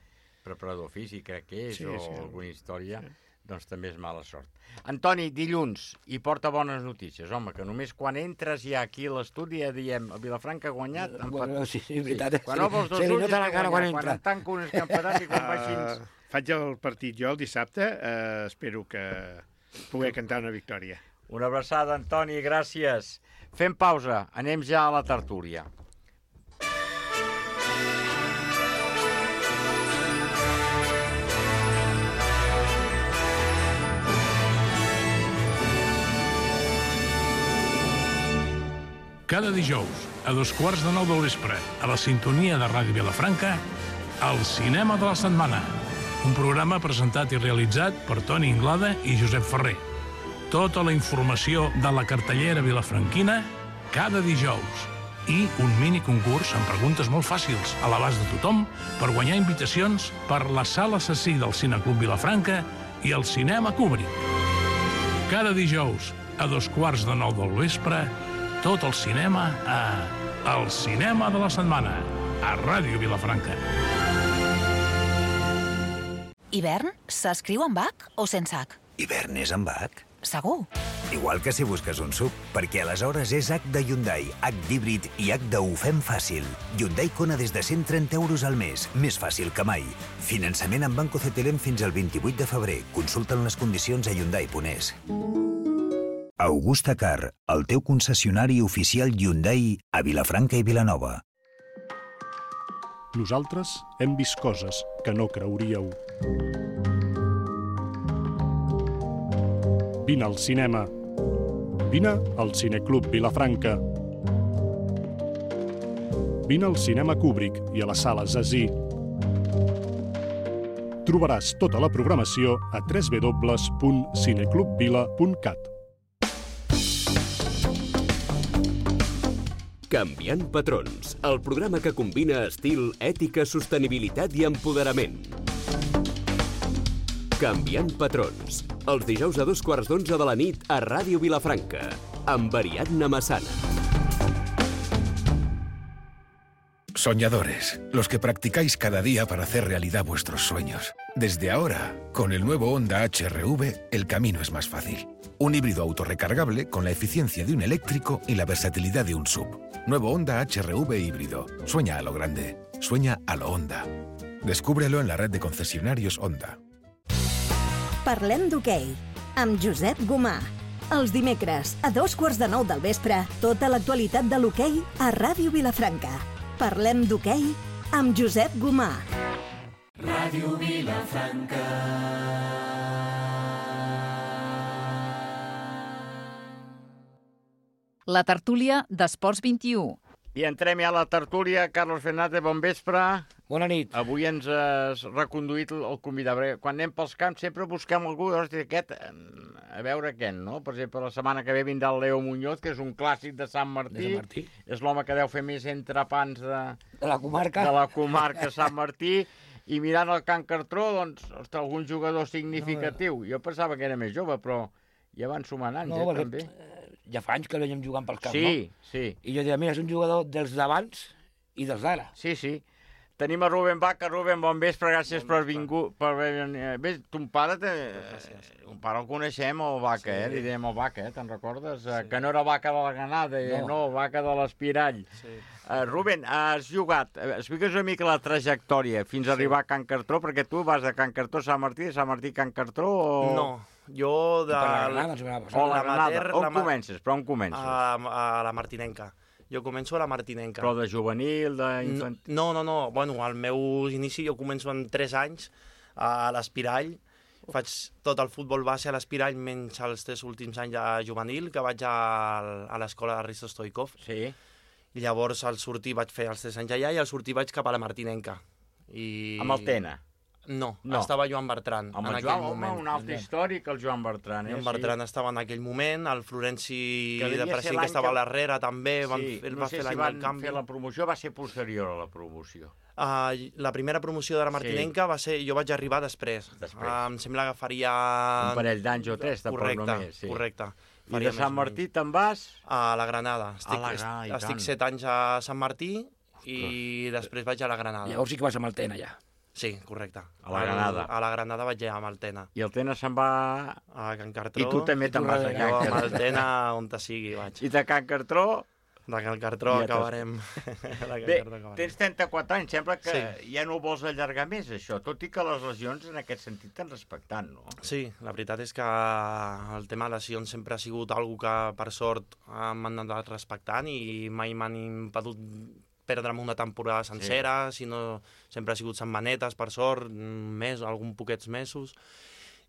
preparador físic, crec que és, o alguna història, doncs també és mala sort. Antoni, dilluns, i porta bones notícies, home, que només quan entres ja aquí a l'estudi ja diem, el Vilafranca ha guanyat... Sí, veritat. Quan obre els dos ulls ja ha guanyat, quan en tanca un escampedat i quan va així... Faig el partit jo el dissabte, espero que pugui cantar una victòria. Una abraçada, Antoni, gràcies. Fem pausa, anem ja a la tertúlia. Cada dijous, a 8:15 del vespre, a la sintonia de Ràdio Vilafranca, El Cinema de la Setmana, un programa presentat i realitzat per Toni Inglada i Josep Ferrer. Tota la informació de la cartellera vilafranquina cada dijous. I un mini concurs amb preguntes molt fàcils a l'abast de tothom per guanyar invitacions per la Sala Assassí del Cineclub Vilafranca i el Cinema Kubrick. Cada dijous, a 8:15 del vespre, tot el cinema a El Cinema de la Setmana, a Ràdio Vilafranca. Hivern s'escriu amb H o sense H? Hivern és amb H. Segur. Igual que si busques un SUV, perquè aleshores és H de Hyundai, H d'híbrid i H de ho fem fàcil. Hyundai Kona des de 130 euros al mes, més fàcil que mai. Finançament amb Banco CTLM fins al 28 de febrer. Consulta'n les condicions a hyundai.es. Augusta Car, el teu concessionari oficial Hyundai a Vilafranca i Vilanova. Nosaltres hem vist coses que no creuríeu. Vine al cinema. Vine al Cineclub Vilafranca. Vine al Cinema Kubrick i a la Sala Zazie. Trobaràs tota la programació a www.cineclubvila.cat. Canviant patrons, el programa que combina estil, ètica, sostenibilitat i empoderament. Canviant patrons. Els dijous a 11:15 de la nit a Ràdio Vilafranca, amb Ariadna Massana. Soñadores, los que practicáis cada día para hacer realidad vuestros sueños. Desde ahora, con el nuevo Honda HR-V, el camino es más fácil. Un híbrido autorrecargable con la eficiencia de un eléctrico y la versatilidad de un SUV. Nuevo Honda HR-V híbrido. Sueña a lo grande. Sueña a lo Honda. Descúbrelo en la red de concesionarios Honda. Parlem d'hoquei, amb Josep Gomà. Els dimecres, a 9:15 del vespre, tota l'actualitat de l'hoquei a Ràdio Vilafranca. Parlem d'hoquei amb Josep Gomà. Ràdio Vilafranca. La tertúlia d'Esports 21. I entrem ja a la tertúlia. Carlos Fernández, bon vespre. Bona nit. Avui ens has reconduït el convidat. Quan anem pels camps sempre busquem algú d'aquest, a veure què, no? Per exemple, la setmana que ve vindrà el Leo Muñoz, que és un clàssic de Sant Martí. És l'home que deu fer més entrepans de la comarca. De la comarca Sant Martí. I mirant el Can Cartró, doncs, ostres, algun jugador significatiu. Jo pensava que era més jove, però ja van sumant anys, també. Ja fa anys que el veiem jugant pels camps, sí, no? Sí. I jo diria, mira, és un jugador dels d'abans i dels d'ara. Sí, sí. Tenim a Rubén Vaca. Rubén, bon vespre, gràcies per vingut. Bé, ton pare, un pare el coneixem, el Vaca, li dèiem el Vaca, te'n recordes? Que no era Vaca de la Granada, no, Vaca de l'Espirall. Rubén, has jugat, explica'ns una mica la trajectòria fins a arribar a Can Cartró, perquè tu vas de Can Cartró a Sant Martí, de Sant Martí a Can Cartró o... No, jo de... O la Granada, on comences? Però on comences? A la Martinenca. Jo començo a la Martinenca. Però de juvenil, d'infantil? No. Bueno, al meu inici jo començo amb 3 anys a l'Espirall. Faig tot el futbol base a l'Espirall, menys els 3 últims anys de juvenil, que vaig a l'escola de Risto Stoikov. Sí. I llavors al sortir vaig fer els 3 anys allà i al sortir vaig cap a la Martinenca. Amb el Tena? No, estava Joan Bertran en aquell moment. Un altre històric, el Joan Bertran. Joan Bertran estava en aquell moment, el Florenci de President, que estava a l'Herrera també, ell va fer l'any del canvi. Fer la promoció, va ser posterior a la promoció. La primera promoció de la Martinenca va ser... Jo vaig arribar després. Em sembla que faria... Un parell d'anys o 3, tampoc només. Correcte. I de Sant Martí te'n vas? A la Granada. Estic 7 anys a Sant Martí i després vaig a la Granada. Llavors sí que vas amb el Tena, ja. Sí, correcte. A la Granada. A la Granada vaig anar amb el Tena. I el Tena se'n va... A Can Cartró. I tu també te'n vas a Can Cartró. Jo amb el Tena on te sigui vaig. I de Can Cartró... De Can Cartró acabarem. Bé, tens 34 anys, sembla que ja no ho vols allargar més, això, tot i que les lesions en aquest sentit t'han respectat, no? Sí, la veritat és que el tema de lesions sempre ha sigut algo que, per sort, m'han anat respectant i mai m'han impedit perdre'm una temporada sencera, sinó sempre ha sigut setmanetes, per sort, un mes, algun poquets mesos.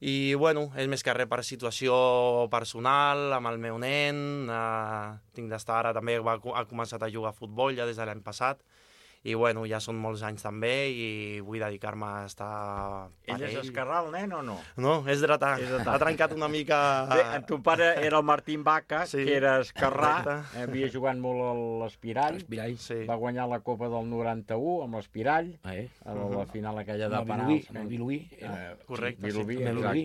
I, bueno, és més que res per situació personal, amb el meu nen, tinc d'estar ara també, ha començat a jugar a futbol ja des de l'any passat, i, bueno, ja són molts anys també i vull dedicar-me a estar per ell. Ell és esquerrà, el nen, o no? No, és dretà. Ha trencat una mica... Bé, el teu pare era el Martín Vaca, que era esquerrà, havia jugat molt a l'Espirall, va guanyar la Copa del 91 amb l'Espirall, a la final aquella de penals. Amb el Vilobí. Correcte, sí.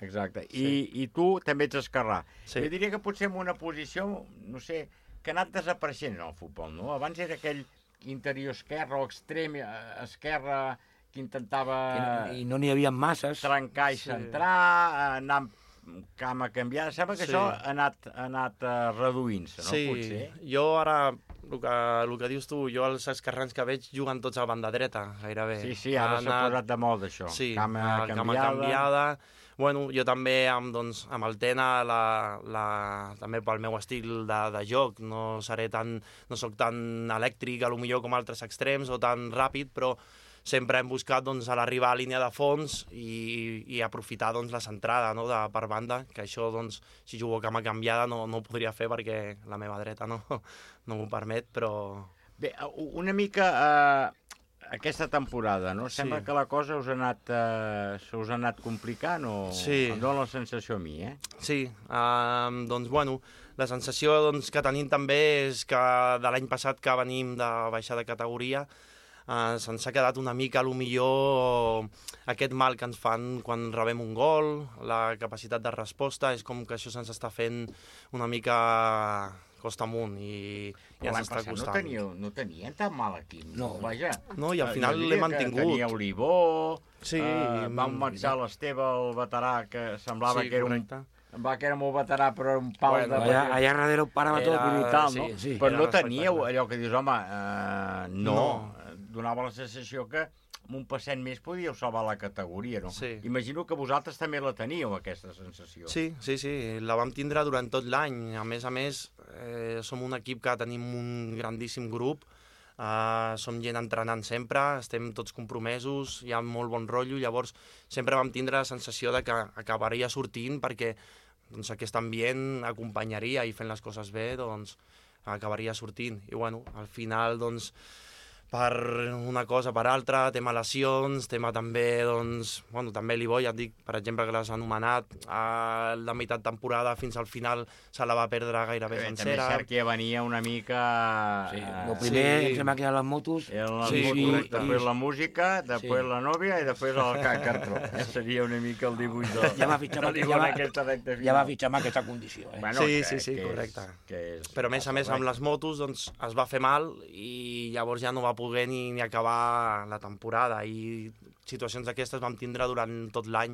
Exacte. I tu també ets esquerrà. Jo diria que potser en una posició, no sé, que ha anat desapareixent en el futbol, no? Abans era aquell interior esquerre o extrem esquerra que intentava... I no n'hi havia masses. Trencar i centrar, anar amb cama canviada. Sembla que això ha anat reduint-se, no? Sí, jo ara, el que dius tu, jo els esquerrans que veig juguen tots a banda dreta, gairebé. Sí, ara s'ha posat de moda, això. Sí, cama canviada. Bueno, jo també amb el Tena, també pel meu estil de joc, no soc tan elèctric, potser com altres extrems, o tan ràpid, però sempre hem buscat a l'arribar a línia de fons i aprofitar la centrada per banda, que això, si jugo cama canviada, no ho podria fer perquè la meva dreta no m'ho permet, però... Bé, una mica... Aquesta temporada, no? Sembla que la cosa us ha anat complicant o... Sí. Em dóna la sensació a mi, Sí, bueno, la sensació que tenim també és que de l'any passat que venim de baixar de categoria, se'ns ha quedat una mica, millor aquest mal que ens fan quan rebem un gol, la capacitat de resposta, és com que això se'ns està fent una mica costa amunt i ens està costant. No tenien tan mal equip, no? Vaja. No, i al final l'hem mantingut. Tenia Olivó, sí, vam marxar l'Esteve, el veterà, que semblava que era correcte. Que era molt veterà, però era un pal de... Allà darrere ho parava tot. Brutal, no? Sí. Però no teníeu allò que dius, home, no. Donava la sensació que amb un passet més podíeu salvar la categoria, no? Sí. Imagino que vosaltres també la teníeu, aquesta sensació. Sí, la vam tindre durant tot l'any. A més, som un equip que tenim un grandíssim grup, som gent entrenant sempre, estem tots compromesos, hi ha molt bon rotllo, llavors sempre vam tindre la sensació de que acabaria sortint perquè aquest ambient acompanyaria i fent les coses bé, acabaria sortint. I al final, per una cosa per altra, tema lesions, tema també, també l'Ibó, ja et dic, per exemple, que l'has anomenat, la meitat temporada fins al final se la va perdre gairebé sencera. També és cert que ja venia una mica... El primer, em sembla que eren les motos. Després la música, després la nòvia i després el Cartró. Seria una mica el dibuix de l'Ibó en aquesta recta final. Ja va fitxar amb aquesta condició. Sí, correcte. Però a més, amb les motos es va fer mal i llavors ja no va poder ni acabar la temporada i situacions d'aquestes vam tindre durant tot l'any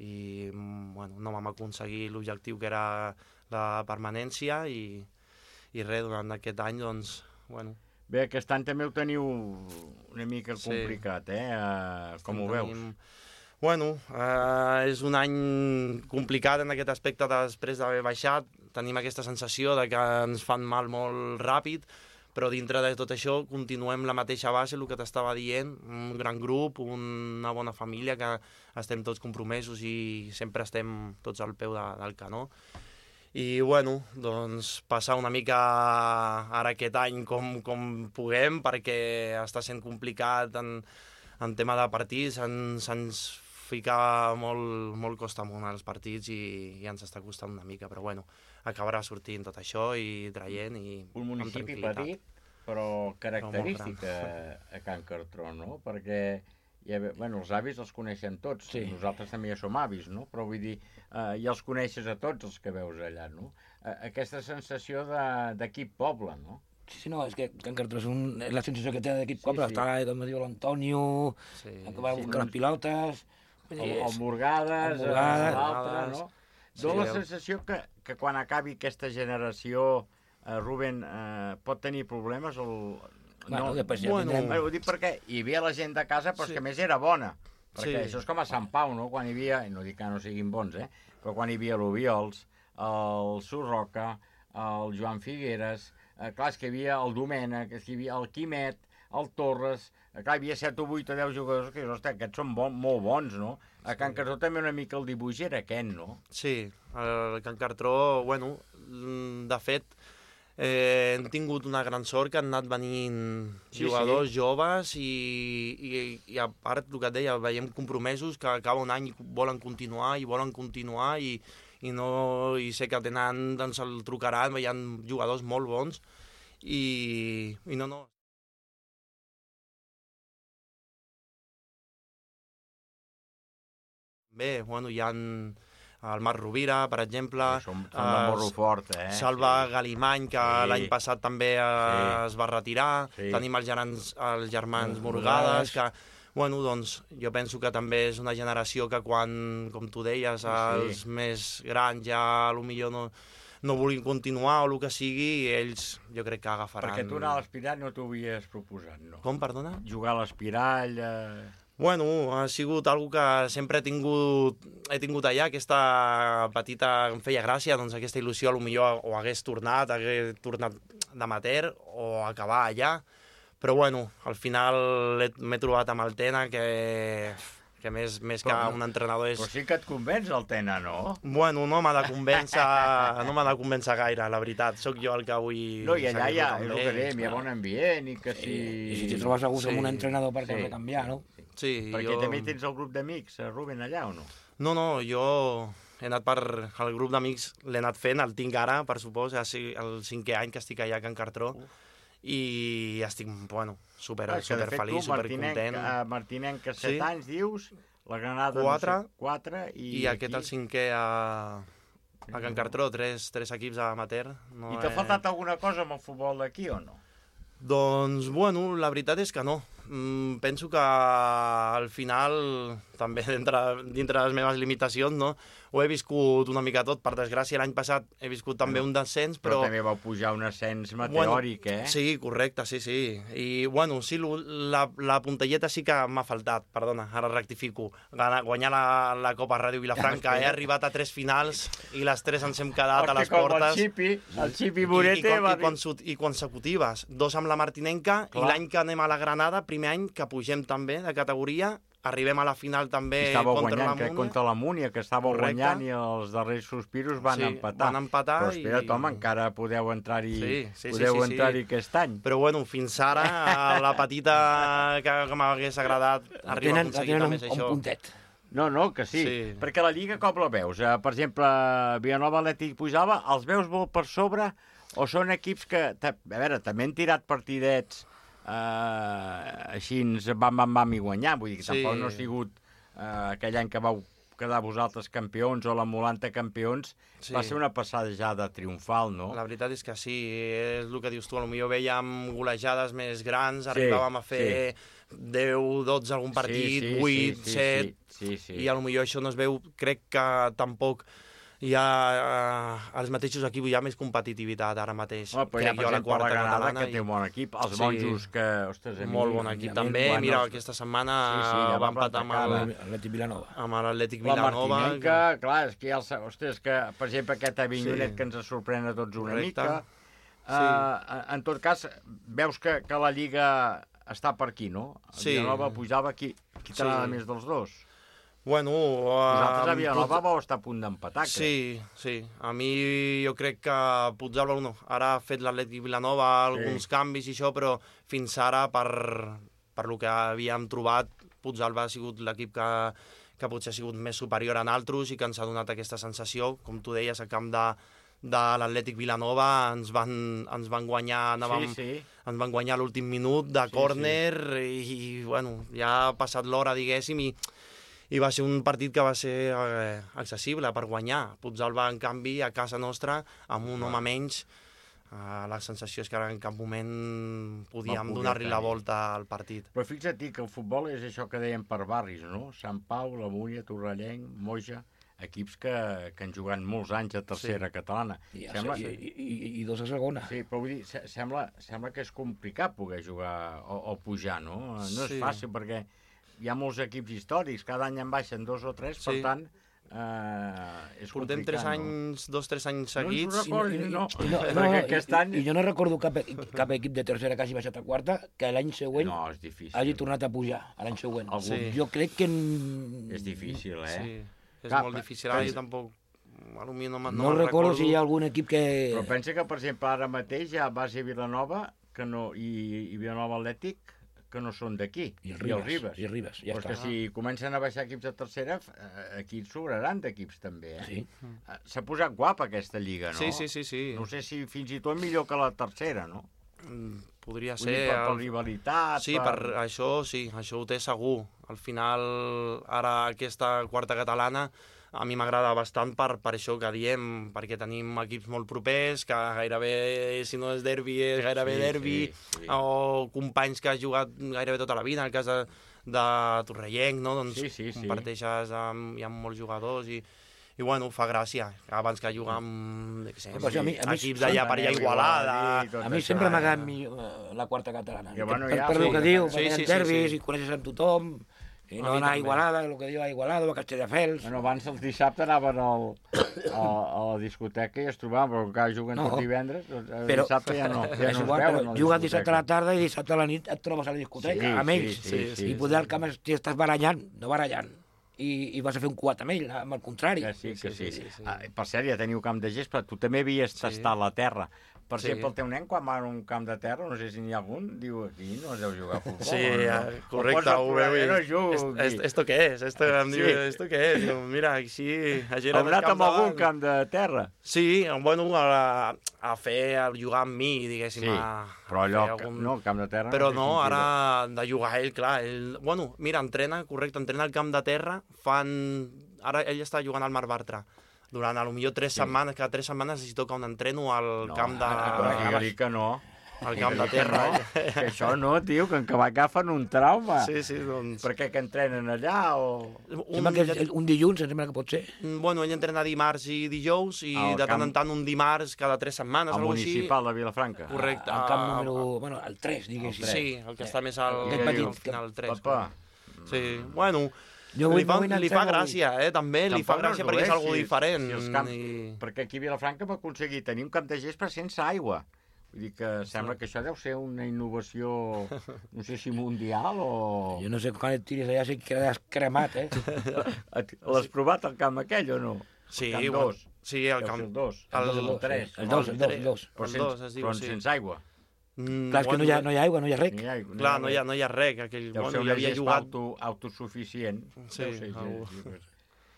i no vam aconseguir l'objectiu que era la permanència i res, durant aquest any Bé, aquest any també ho teniu una mica complicat, com ho veus? És un any complicat en aquest aspecte després d'haver baixat, tenim aquesta sensació de que ens fan mal molt ràpid, però dintre de tot això continuem la mateixa base, el que t'estava dient, un gran grup, una bona família, que estem tots compromesos i sempre estem tots al peu del canó. I, passar una mica ara aquest any com puguem, perquè està sent complicat en tema de partits, se'ns fica molt costa amunt als partits i ens està costant una mica, però acabarà sortint tot això i traient i un municipi petit, però característic a Can Cartró, no? Perquè els avis els coneixen tots, nosaltres també ja som avis, no? Però vull dir, ja els coneixes a tots els que veus allà, no? Aquesta sensació d'equip poble, no? Sí, no, és que Can Cartró és la sensació que té d'equip poble, està, com diu l'Antonio, que va buscar les pilotes... El Morgades, l'altre, no? Dóna la sensació que quan acabi aquesta generació, Rubén, pot tenir problemes? Després ja tindrem... Ho dic perquè hi havia la gent de casa, però que més era bona. Perquè això és com a Sant Pau, no? Quan hi havia, no dic que no siguin bons, però quan hi havia l'Obiols, el Surroca, el Joan Figueres, clar, és que hi havia el Domènec, hi havia el Quimet, el Torres, clar, hi havia 7 o 8 o 10 jugadors que, ostres, aquests són molt bons, no? A Can Cartró també una mica el dibuix era aquest, no? Sí, a Can Cartró, de fet, hem tingut una gran sort que han anat venint jugadors joves i a part, el que et deia, veiem compromesos que acaba un any i volen continuar i sé que tenen, el trucaran, hi ha jugadors molt bons i no. Bé, hi ha el Marc Rovira, per exemple, són de morro fort, Salva Galimany, que l'any passat també es va retirar, tenim els germans Morgades, que jo penso que també és una generació que quan, com tu deies, els més grans ja potser no vulguin continuar o el que sigui, ells jo crec que agafaran... Perquè tu anar a l'Espirall no t'ho havies proposat, no? Com, perdona? Jugar a l'Espirall... Ha sigut algo que sempre he tingut allà, aquesta petita... Em feia gràcia, aquesta il·lusió, potser o hagués tornat d'amateur o acabar allà, però al final m'he trobat amb el Tena, que més que un entrenador és... Però sí que et convenç el Tena, no? No m'ha de convèncer gaire, la veritat. Soc jo el que vull... No, i allà hi ha bon ambient i que si... I si t'hi trobes a gust amb un entrenador per què canviar, no? Sí, perquè també tens el grup d'amics, Rubén, allà o no? No, jo he anat el grup d'amics l'he anat fent, el tinc ara, per supòs, és el 5è any que estic allà a Can Cartró, i estic, super feliç, super content. Martinenc, que 7 anys, dius, la Granada 4 i aquest el 5è a Can Cartró, 3 equips amateur. I t'ha faltat alguna cosa amb el futbol d'aquí o no? Doncs, la veritat és que no. Penso que al final, també dintre les meves limitacions, no? Ho he viscut una mica tot. Per desgràcia, l'any passat he viscut també un descens, però... Però també vau pujar un ascens meteòric, Sí, correcte, sí. I, sí, la puntelleta sí que m'ha faltat, perdona, ara rectifico. Guanyar la Copa Ràdio Vilafranca. He arribat a 3 finals i les 3 ens hem quedat a les portes. El Xipi Morete I consecutives. 2 amb la Martinenca i l'any que anem a la Granada, primer any que pugem també de categoria, arribem a la final també contra la Múnia, que estava guanyant i els darrers sospiros van empatar. Però espera't, home, encara podeu entrar-hi aquest any. Però fins ara la petita que m'hagués agradat arribar a aconseguir també és això. Un puntet. No, que sí, perquè la Lliga com la veus? Per exemple, Vilanova, Atlètic, Puigdàlber, els veus molt per sobre o són equips que, a veure, també han tirat partidets així vam i guanyar, vull dir que tampoc no ha sigut aquell any que vau quedar vosaltres campions o la Molanta campions, va ser una passejada triomfal, no? La veritat és que sí, és el que dius tu, potser veiem golejades més grans, arribàvem a fer 10, 12 algun partit, 8, 7, i potser això no es veu, crec que tampoc hi ha als mateixos equips, hi ha més competitivitat ara mateix. Però hi ha, per exemple, la Granada, que té un bon equip, els monjos que... Molt bon equip també, mira, aquesta setmana va empatar amb l'Atlètic Vilanova. Amb l'Atlètic Vilanova. La Martinenca, clar, és que ostres, que, per exemple, aquest Avinyonet que ens sorprèn a tots una mica. En tot cas, veus que la Lliga està per aquí, no? Vilanova, Puigdàlber, qui t'agrada més dels dos? Vosaltres a Vilanova vau estar a punt d'empatar, crec. Sí. A mi jo crec que Puigdàlber ara ha fet l'Atlètic Vilanova alguns canvis i això, però fins ara, per lo que havíem trobat, Puigdàlber ha sigut l'equip que potser ha sigut més superior a altres i que ens ha donat aquesta sensació. Com tu deies, al camp de l'Atlètic Vilanova ens van guanyar, ens van guanyar l'últim minut de córner i ja ha passat l'hora, diguéssim, i va ser un partit que va ser accessible per guanyar. Puigdàlber, en canvi, a casa nostra, amb un home menys, la sensació és que en cap moment podíem donar-li la volta al partit. Però fixa't que el futbol és això que dèiem per barris, no? Sant Pau, la Múnia, Torrellenc, Moja, equips que han jugat molts anys a tercera catalana. I dos a segona. Sí, però vull dir, sembla que és complicat poder jugar o pujar, no? No és fàcil perquè hi ha molts equips històrics, cada any en baixen 2 o 3, per tant, és portem complicat. 2-3 anys seguits. No, perquè aquest any... I jo no recordo cap equip de tercera que hagi baixat a quarta que l'any següent hagi tornat a pujar, l'any següent. Jo crec que... És difícil, Sí, és molt difícil, ara jo tampoc... No recordo si hi ha algun equip que... Però pensa que, per exemple, ara mateix hi ha base Vilanova i Vilanova Atlètic, que no són d'aquí, i el Ribes, ja està. Perquè si comencen a baixar equips de tercera, aquí sobraran d'equips també, Sí. S'ha posat guapa aquesta lliga, no? Sí. No sé si fins i tot millor que la tercera, no? Podria ser... Per rivalitat... Sí, per això ho té segur. Al final, ara aquesta quarta catalana, a mi m'agrada bastant per això que diem, perquè tenim equips molt propers, que gairebé, si no és derbi, és gairebé derbi, o companys que has jugat gairebé tota la vida, en el cas de Torrellenc, no? Doncs comparteixes hi ha molts jugadors i fa gràcia, abans que jugar amb equips d'allà per allà Igualada... A mi sempre m'ha agradat la quarta catalana, per el que diu, perquè hi ha derbis i coneixes amb tothom... I no anar a Igualada, el que diu a Igualada o a Castelldefels. Abans els dissabtes anaven a la discoteca i es trobaven, però encara juguen tot divendres, dissabte ja no es veuen. Juguen dissabte a la tarda i dissabte a la nit et trobes a la discoteca, amb ells. I poder al camp estàs barallant, no barallant. i vas a fer un quad amb ell, amb el contrari. Que sí. Per cert, ja teniu camp de gespa, tu també havies tastat la terra. Per exemple, el teu nen, quan va a un camp de terra, no sé si n'hi ha algun, diu aquí no es deu jugar a futbol. Sí, correcte, ho veu. ¿Esto qué es? ¿Esto qué es? Mira, així... Heu anat amb algun camp de terra? Sí, bueno, a jugar amb mi, diguéssim. Sí, però allò, no, el camp de terra... Però no, ara de jugar ell, clar. Bueno, mira, entrena al camp de terra, ara ell està jugant al Mar Bartra. Durant, potser 3 setmanes, cada 3 setmanes si toca un entreno al camp de... Digue-li que no. Al camp de terra. Que això no, tio, que agafen un trauma. Sí, doncs... Per què que entrenen allà o... Sembla que un dilluns, sembla que pot ser. Bueno, ell entrena dimarts i dijous i de tant en tant un dimarts cada 3 setmanes, al municipal de Vilafranca. Correcte. Al camp número... Bueno, el 3, diguéssim. Sí, el que està més al final, el 3. Papa. Sí, bueno... Li fa gràcia, també, li fa gràcia perquè és algo diferent. Perquè aquí a Vilafranca va aconseguir tenir un camp de gespa sense aigua. Vull dir que sembla que això deu ser una innovació, no sé si mundial o... Jo no sé quan et tiris allà si quedaràs cremat, L'has provat el camp aquell o no? Sí, el camp 2. Sí, el camp... El 2. El 3. El 2. Però sense aigua. Clar, és que no hi ha aigua, no hi ha rec. Clar, no hi ha rec. Deu ser una gespa autosuficient. Sí.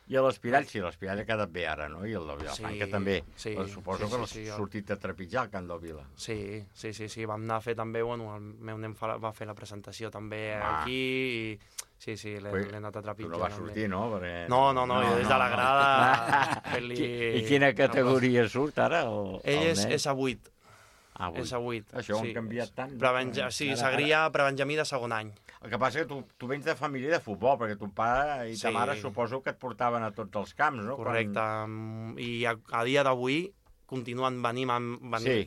I a l'Espirall, sí, l'Espirall ha quedat bé ara, no? I el de Vilafranca també. Suposo que l'has sortit a trepitjar al Camp del Vila. Sí. Vam anar a fer també, bueno, el meu nen va fer la presentació també aquí i... Sí, l'he anat a trepitjar. Tu no vas sortir, no? No, jo des de la grada fent-li... I quina categoria surt ara? Ell és a 8. És a 8. Això ho han canviat tant. Sí, Segrià, prebenjamí de segon any. El que passa és que tu vens de família de futbol, perquè ton pare i ta mare suposo que et portaven a tots els camps, no? Correcte. I a dia d'avui continuen venint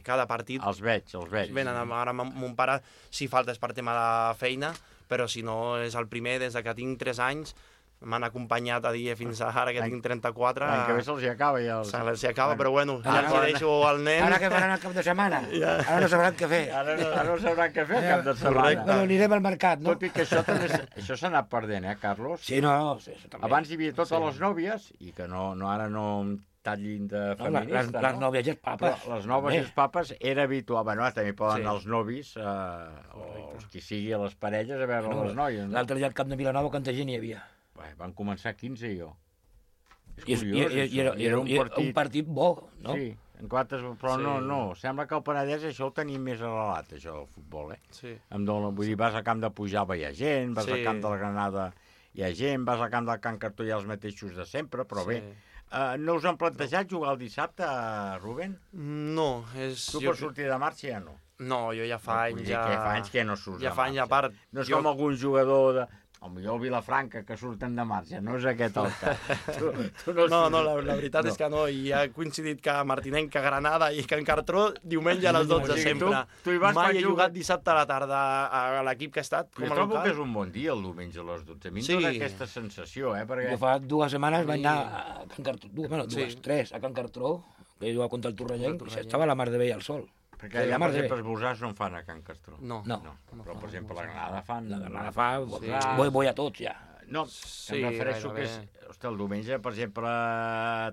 cada partit. Els veig. Venen ara mon pare, si falta és per tema de feina, però si no és el primer des que tinc 3 anys. M'han acompanyat a dia fins ara, que tinc 34. L'any que ve se'ls acaba ja. Se'ls acaba, però bueno, ja els deixo al nen. Ara que faran el cap de setmana. Ara no sabran què fer. Ara no sabran què fer el cap de setmana. Bueno, anirem al mercat, no? Tot i que això s'ha anat perdent, Carlos? Sí, no. Abans hi havia totes les nòvies, i que ara no tallin de feminista. Les nòvies i els papes. Però les noves i els papes era habitual. Bueno, també poden anar els novis, o qui sigui a les parelles, a veure les noies. L'altre dia al camp de Vilanova, quanta gent hi havia? Van començar 15 i jo. I era un partit bo, no? Sí, però no. Sembla que el Penedès això ho tenim més arrelat, això del futbol, Sí. Vull dir, vas al camp de Pujava hi ha gent, vas al camp de la Granada hi ha gent, vas al camp del Can Cartó hi ha els mateixos de sempre, però bé. No us han plantejat jugar el dissabte, Rubén? No. Tu per sortir de marxa ja no? No, jo ja fa anys ja... Fa anys que no surts de marxa. Ja fa anys a part. No és com algun jugador de... Potser el Vilafranca, que surten de marxa, no és aquest el cas. No, la veritat és que no, i ha coincidit que Martinenc, que Granada i Can Cartró, diumenge a les 12 sempre. Mai he jugat dissabte a la tarda a l'equip que ha estat. Jo trobo que és un bon dia el diumenge a les 12. A mi em dóna aquesta sensació, perquè... Jo fa 2 setmanes vaig anar a Can Cartró, 3, a Can Cartró, que he jugat contra el Torrellenc, i estava la mar de bé al sol. Perquè allà, per exemple, els bosars no en fan a Can Castró. No. Però, per exemple, la Granada fan... La Granada fa... Vull a tots, ja. No, em refereixo que és... Hosti, el diumenge, per exemple,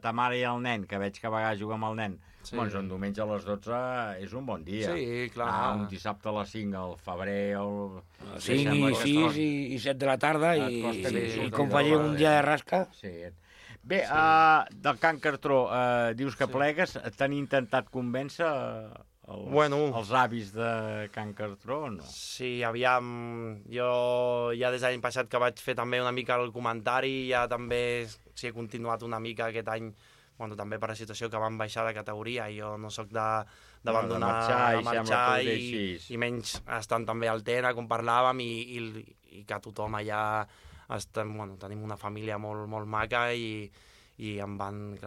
ta mare i el nen, que veig que a vegades juga amb el nen, doncs un diumenge a les 12 és un bon dia. Sí, clar. Un dissabte a les 5 al febrer... 5 i 6 i 7 de la tarda, i com faci un dia de rasca... Sí. Bé, del Can Cartró, dius que plegues, t'han intentat convèncer... els avis de Can Cartró o no? Sí, aviam, jo ja des de l'any passat que vaig fer també una mica el comentari, ja també he continuat una mica aquest any, també per la situació que van baixar de categoria, jo no sóc d'abandonar, de marxar i menys estant també al Tena, com parlàvem, i que tothom allà tenim una família molt, molt maca i em van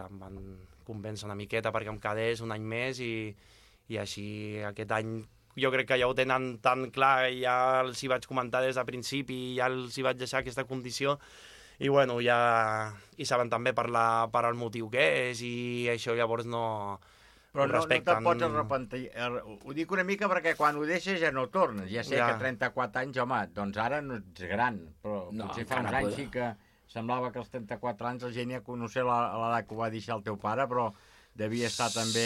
convèncer una miqueta perquè em quedés un any més i així aquest any jo crec que ja ho tenen tan clar, ja els hi vaig comentar des de principi, ja els hi vaig deixar aquesta condició i bueno, ja hi saben també per el motiu que és i això llavors no... Però no te'n pots arrepentir. Ho dic una mica perquè quan ho deixes ja no tornes. Ja sé que 34 anys, home, doncs ara no ets gran, però potser fa uns anys semblava que als 34 anys la gent ja coneixia l'edat que ho va deixar el teu pare, però devia estar també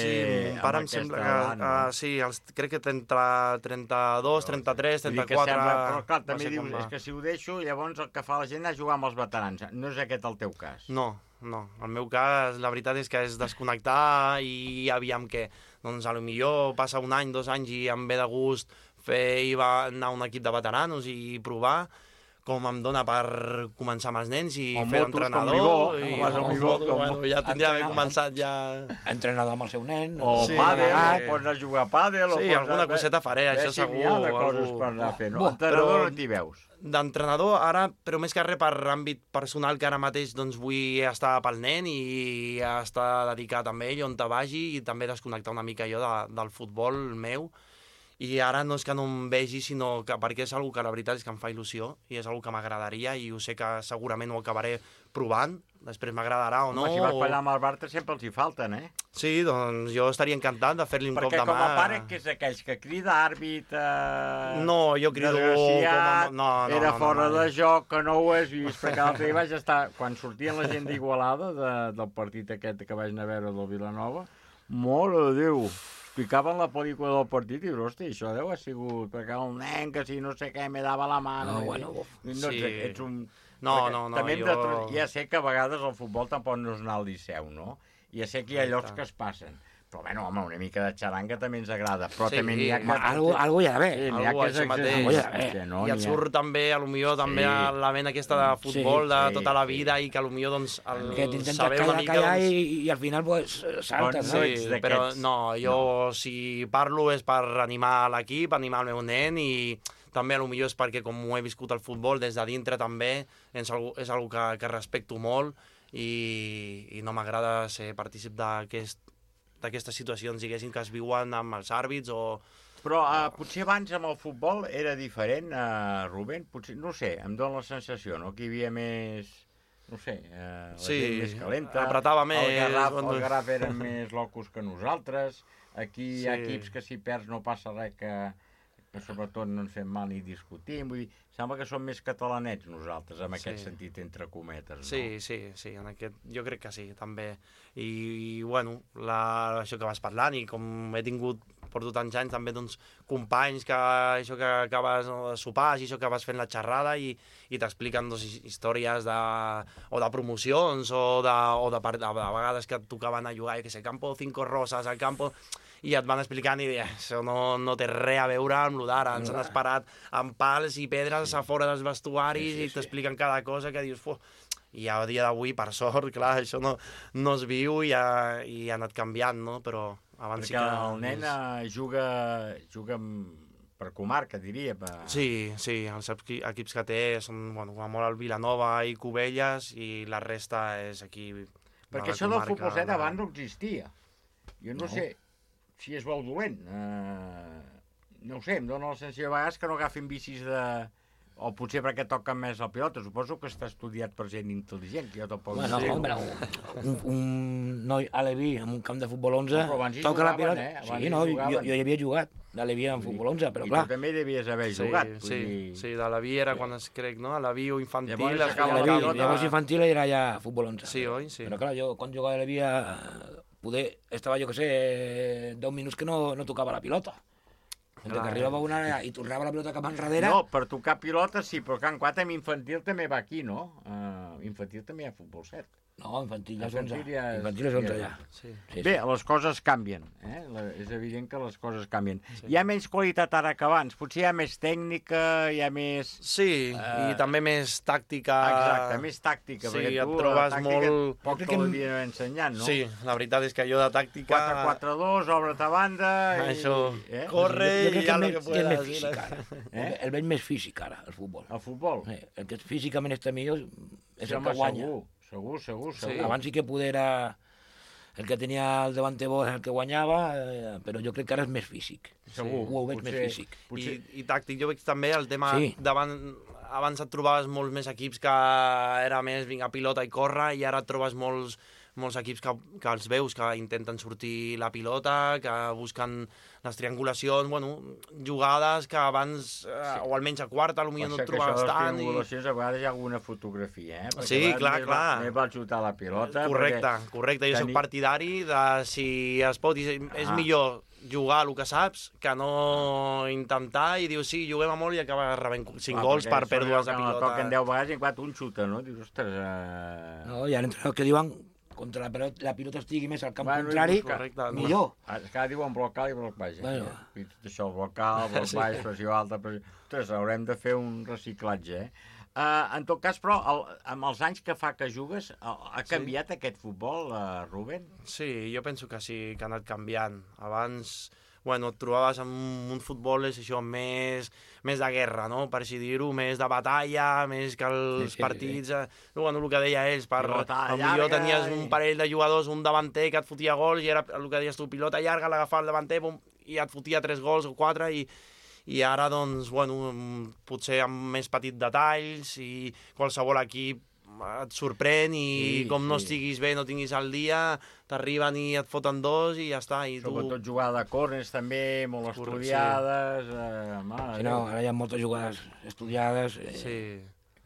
amb pare em sembla que, no? Sí, crec que entre 32, 33, 34... Però clar, també dius, és que si ho deixo, llavors el que fa la gent és jugar amb els veterans. No és aquest el teu cas? No. El meu cas, la veritat és que és desconnectar i aviam què. Doncs potser passa un any, 2 anys i em ve de gust anar a un equip de veteranos i provar com em dona per començar amb els nens i fer entrenador. Ja tindria d'haver començat ja... Entrenador amb el seu nen. O pàdel, pots anar a jugar a pàdel. Sí, alguna coseta faré, això segur. Hi ha de coses per anar a fer, no? Entrenador no t'hi veus? D'entrenador, ara, però més que res per àmbit personal, que ara mateix doncs, vull estar pel nen i estar dedicat amb ell on te vagi i també desconnectar una mica jo del futbol meu. I ara no és que no em vegi, sinó que perquè és una que la veritat és que em fa il·lusió i és una que m'agradaria i ho sé que segurament ho acabaré provant, després m'agradarà o no. Si vas per allà amb el Bartra sempre els hi falten, eh? Sí, doncs jo estaria encantat de fer-li un cop de mà. Perquè com a pare, que és aquells que crida àrbit... No, jo crido... Desgraciat, era fora de joc, que no ho has vist, perquè l'altre dia vaig estar... Quan sortien la gent d'Igualada, del partit aquest que vaig anar a veure del Vilanova, mare de Déu, picaven la pel·lícula del partit i dius, hosti, això deu haver sigut perquè el nen que si no sé què me dava la mà. No, bueno, sí. Ets un... No, també ja sé que a vegades el futbol tampoc no és anar al Liceu, no? Ja sé que hi ha llocs que es passen. Però, bueno, home, una mica de xaranga també ens agrada. Però també n'hi ha que... Algú hi ha d'haver. Algú això mateix. I et surt també, potser també la ment aquesta de futbol de tota la vida i que potser, doncs, que t'intentes callar i al final, pues, saltes. Sí, però no, jo si parlo és per animar l'equip, animar el meu nen i també potser és perquè com ho he viscut el futbol des de dintre també és una que respecto molt i no m'agrada ser partícip d'aquestes situacions, diguéssim, que es viuen amb els àrbits o... Però potser abans amb el futbol era diferent, Rubén? Potser, no sé, em dóna la sensació, no? Que hi havia més... No sé, la gent més calenta. Apretava més. El Garraf eren més locos que nosaltres. Aquí hi ha equips que si perds no passa res, que sobretot no ens fem mal ni discutim. Vull dir, sembla que som més catalanets nosaltres, en aquest sentit, entre cometes, no? Sí, en aquest, jo crec que sí, també. I bueno, això que vas parlant, i com he tingut, porto tants anys, també, doncs, companys que això que acabes de sopar, i això que vas fent la xerrada, i t'expliquen, doncs, històries o de promocions, o de vegades que et tocaven a jugar, que sé, Campo 5 Rosas, al Campo... i et van explicant i això no té res a veure amb lo d'ara, ens han esperat amb pals i pedres a fora dels vestuaris i t'expliquen cada cosa que dius, i a dia d'avui, per sort, clar, això no es viu i ha anat canviant, no? Però abans perquè el nen juga per comarca, diria. Sí, els equips que té són, bueno, molt el Vilanova i Cubelles i la resta és aquí. Perquè això del futbol 7 abans no existia. Jo no sé si és bo o dolent. No ho sé, em dóna la sensació de vegades que no agafin bicis de... O potser perquè toquen més la pilota. Suposo que està estudiat per gent intel·ligent, que jo tampoc no sé. Home, un noi a Leví, en un camp de futbol 11, toca la pilota. Sí, no, jo hi havia jugat de Leví en futbol 11, però clar... I tu també devies haver jugat. Sí, de Leví era quan es crec, no? A Leví o infantil... Llavors infantil era ja futbol 11. Sí, oi? Sí. Però clar, jo quan jugava a Leví estava, jo que sé, 10 minuts que no tocava la pilota. Que arribava una i tornava la pilota cap enrere... No, per tocar pilota sí, però Can 4 amb infantil també va aquí, no? Infantil també hi ha futbol 7. No, infantil és 11. Infantil és 11 ja. Bé, les coses canvien. És evident que les coses canvien. Hi ha menys qualitat ara que abans. Potser hi ha més tècnica, hi ha més... Sí, i també més tàctica... Exacte, més tàctica. Sí, et trobes molt... Poc que l'havia ensenyat, no? Sí, la veritat és que jo de tàctica... 4-4-2, obre't a banda... Això, corre i ja el que puedas. El veig més físic ara, el futbol. El futbol? El que físicament està millor és el que guanya. Segur. Sí, abans sí que poder era el que tenia el davante bo el que guanyava, però jo crec que ara és més físic. Segur. Ho veig més físic. I tàctic. Jo veig també el tema davant... Abans et trobaves molts més equips que era més vinga pilota i córrer, i ara et trobes molts molts equips que els veus que intenten sortir la pilota, que busquen les triangulacions, jugades que abans, o almenys a quarta, potser no et trobaves tant. Les triangulacions a vegades hi ha alguna fotografia, perquè sí, clar. Més val xutar la pilota. Correcte. Jo soc partidari de si es pot, és millor jugar el que saps que no intentar i dius, sí, juguem a molt i acabes rebent 5 gols per pèrdues de pilota. Toquen 10 vegades i quan un xuta, no? Dius, ostres... No, hi ha entrenadors que diuen contra la pilota estigui més al camp contrari, millor. És que ara diuen bloc alt i bloc baix. I tot això, bloc alt, bloc baix, pressió alta... Ostres, haurem de fer un reciclatge, En tot cas, però, amb els anys que fa que jugues, ha canviat aquest futbol, Rubén? Sí, jo penso que sí, que ha anat canviant. Abans, et trobaves amb un futbol això més de guerra, no? Per així dir-ho, més de batalla, més que els partits... el que deia ells, potser tenies un parell de jugadors, un davanter que et fotia gols, i era el que deies tu, pilota llarga, l'agafava el davanter, i et fotia 3 gols o 4, i ara, doncs, potser amb més petits detalls i qualsevol equip et sorprèn i no estiguis bé, no tinguis el dia, t'arriben i et foten 2 i ja està. Sobretot jugada de córners també, molt estudiades... Sí, no, ara hi ha moltes jugades estudiades. Sí.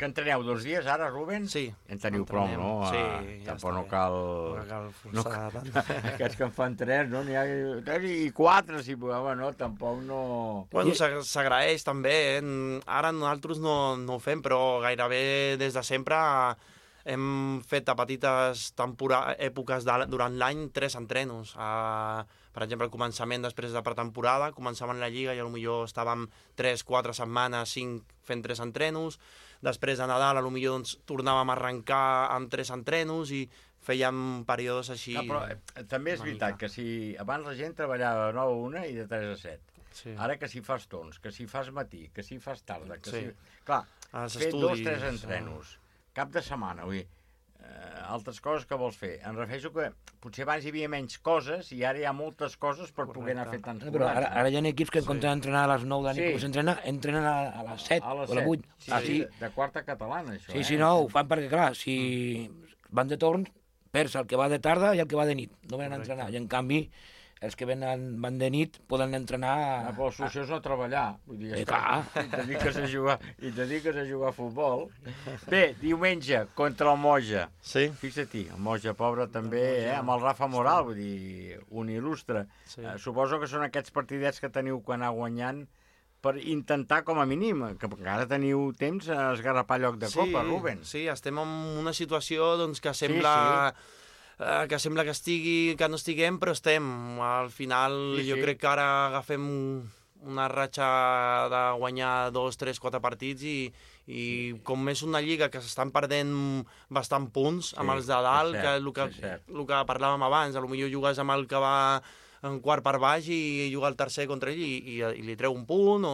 Que entreneu 2 dies ara, Rubén? Sí. En teniu prou, no? Sí, ja tampoc no cal... No cal forçar tant. Aquests que en fan 3, no? N'hi ha 3 i 4, si no, tampoc no... S'agraeix també, Ara nosaltres no ho fem, però gairebé des de sempre hem fet a petites èpoques durant l'any 3 entrenos. Per exemple, al començament, després de pretemporada, començàvem la Lliga i potser estàvem 3-4 setmanes, 5 fent 3 entrenos. Després de Nadal, potser tornàvem a arrencar amb 3 entrenos i fèiem períodes així... No, però també és veritat que si abans la gent treballava de 9 a 1 i de 3 a 7. Sí. Ara que si fas torns, que si fas matí, que si fas tarda, que si... Clar, fer 2 o 3 entrenos, cap de setmana, vull dir, altres coses que vols fer. Em refereixo que potser abans hi havia menys coses i ara hi ha moltes coses per poder anar fent tants Però ara hi ha equips que en comptes d'entrenar a les 9 de nit, entrenen a les 7 o a les 8. Sí, de quarta catalana, això. Sí, no, ho fan perquè, clar, si van de torns, perds el que va de tarda i el que va de nit. No venen a entrenar. I, en canvi, els que van de nit poden entrenar... Però la solució és no treballar. Vull dir, i te dediques a jugar a futbol. Bé, diumenge, contra el Moja. Sí. Fixa-t'hi, el Moja pobre també, amb el Rafa Moral, vull dir, un il·lustre. Sí. Suposo que són aquests partidets que teniu quan anar guanyant per intentar, com a mínim, que encara teniu temps a esgarrapar lloc de Copa, Rubén. Sí, estem en una situació que sembla... que sembla que no estiguem, però estem. Al final jo crec que ara agafem una ratxa de guanyar 2, 3, 4 partits i com és una lliga que s'estan perdent bastant punts amb els de dalt, que és el que parlàvem abans, potser jugues amb el que va en quart per baix i juga el tercer contra ell i li treu un punt,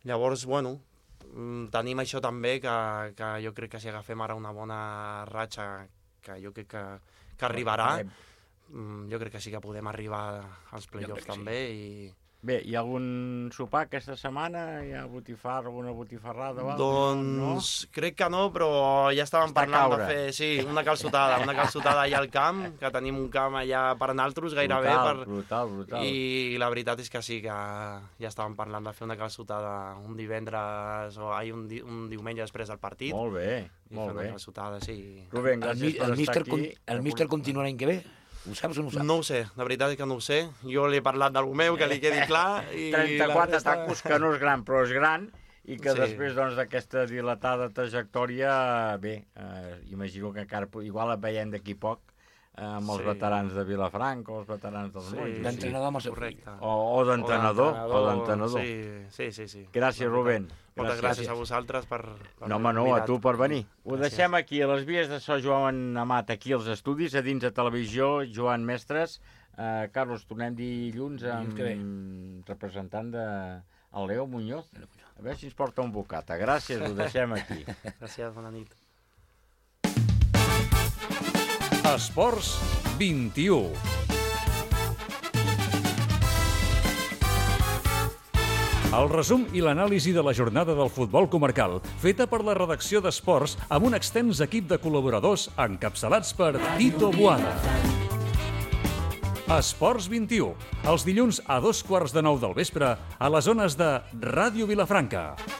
llavors, tenim això també, que jo crec que si agafem ara una bona ratxa, que jo crec que arribarà, jo crec que sí que podem arribar als play-offs també. Bé, hi ha algun sopar aquesta setmana? Hi ha alguna botifarrada? Doncs crec que no, però ja estàvem parlant de fer una calçotada allà al camp, que tenim un camp allà per naltros gairebé. Brutal. I la veritat és que sí, que ja estàvem parlant de fer una calçotada un divendres o un diumenge després del partit. Molt bé. Una calçotada, sí. Rubén, gràcies per estar aquí. El míster continua l'any que ve? Ho saps o no ho saps? No ho sé, la veritat és que no ho sé. Jo li he parlat d'algú meu, que li quedi clar. 34 tacos, que no és gran, però és gran, i que després d'aquesta dilatada trajectòria, bé, imagino que encara igual et veiem d'aquí poc, amb els veterans de Vilafranca o els veterans dels Monjos. D'entrenador amb el seu correcte. O d'entrenador. Sí. Gràcies, Rubén. Moltes gràcies a vosaltres per a tu per venir. Ho deixem aquí, a les vies de so Joan Amat, aquí als estudis, a dins de televisió, Joan Mestres. Carlos, tornem dilluns amb representant del Leo Muñoz. A veure si ens porta un bocata. Gràcies, ho deixem aquí. Gràcies, bona nit. Esports 21. El resum i l'anàlisi de la jornada del futbol comarcal, feta per la redacció d'Esports amb un extens equip de col·laboradors encapçalats per Tito Boada. Esports 21, els dilluns a 2:15 del vespre a les ones de Ràdio Vilafranca.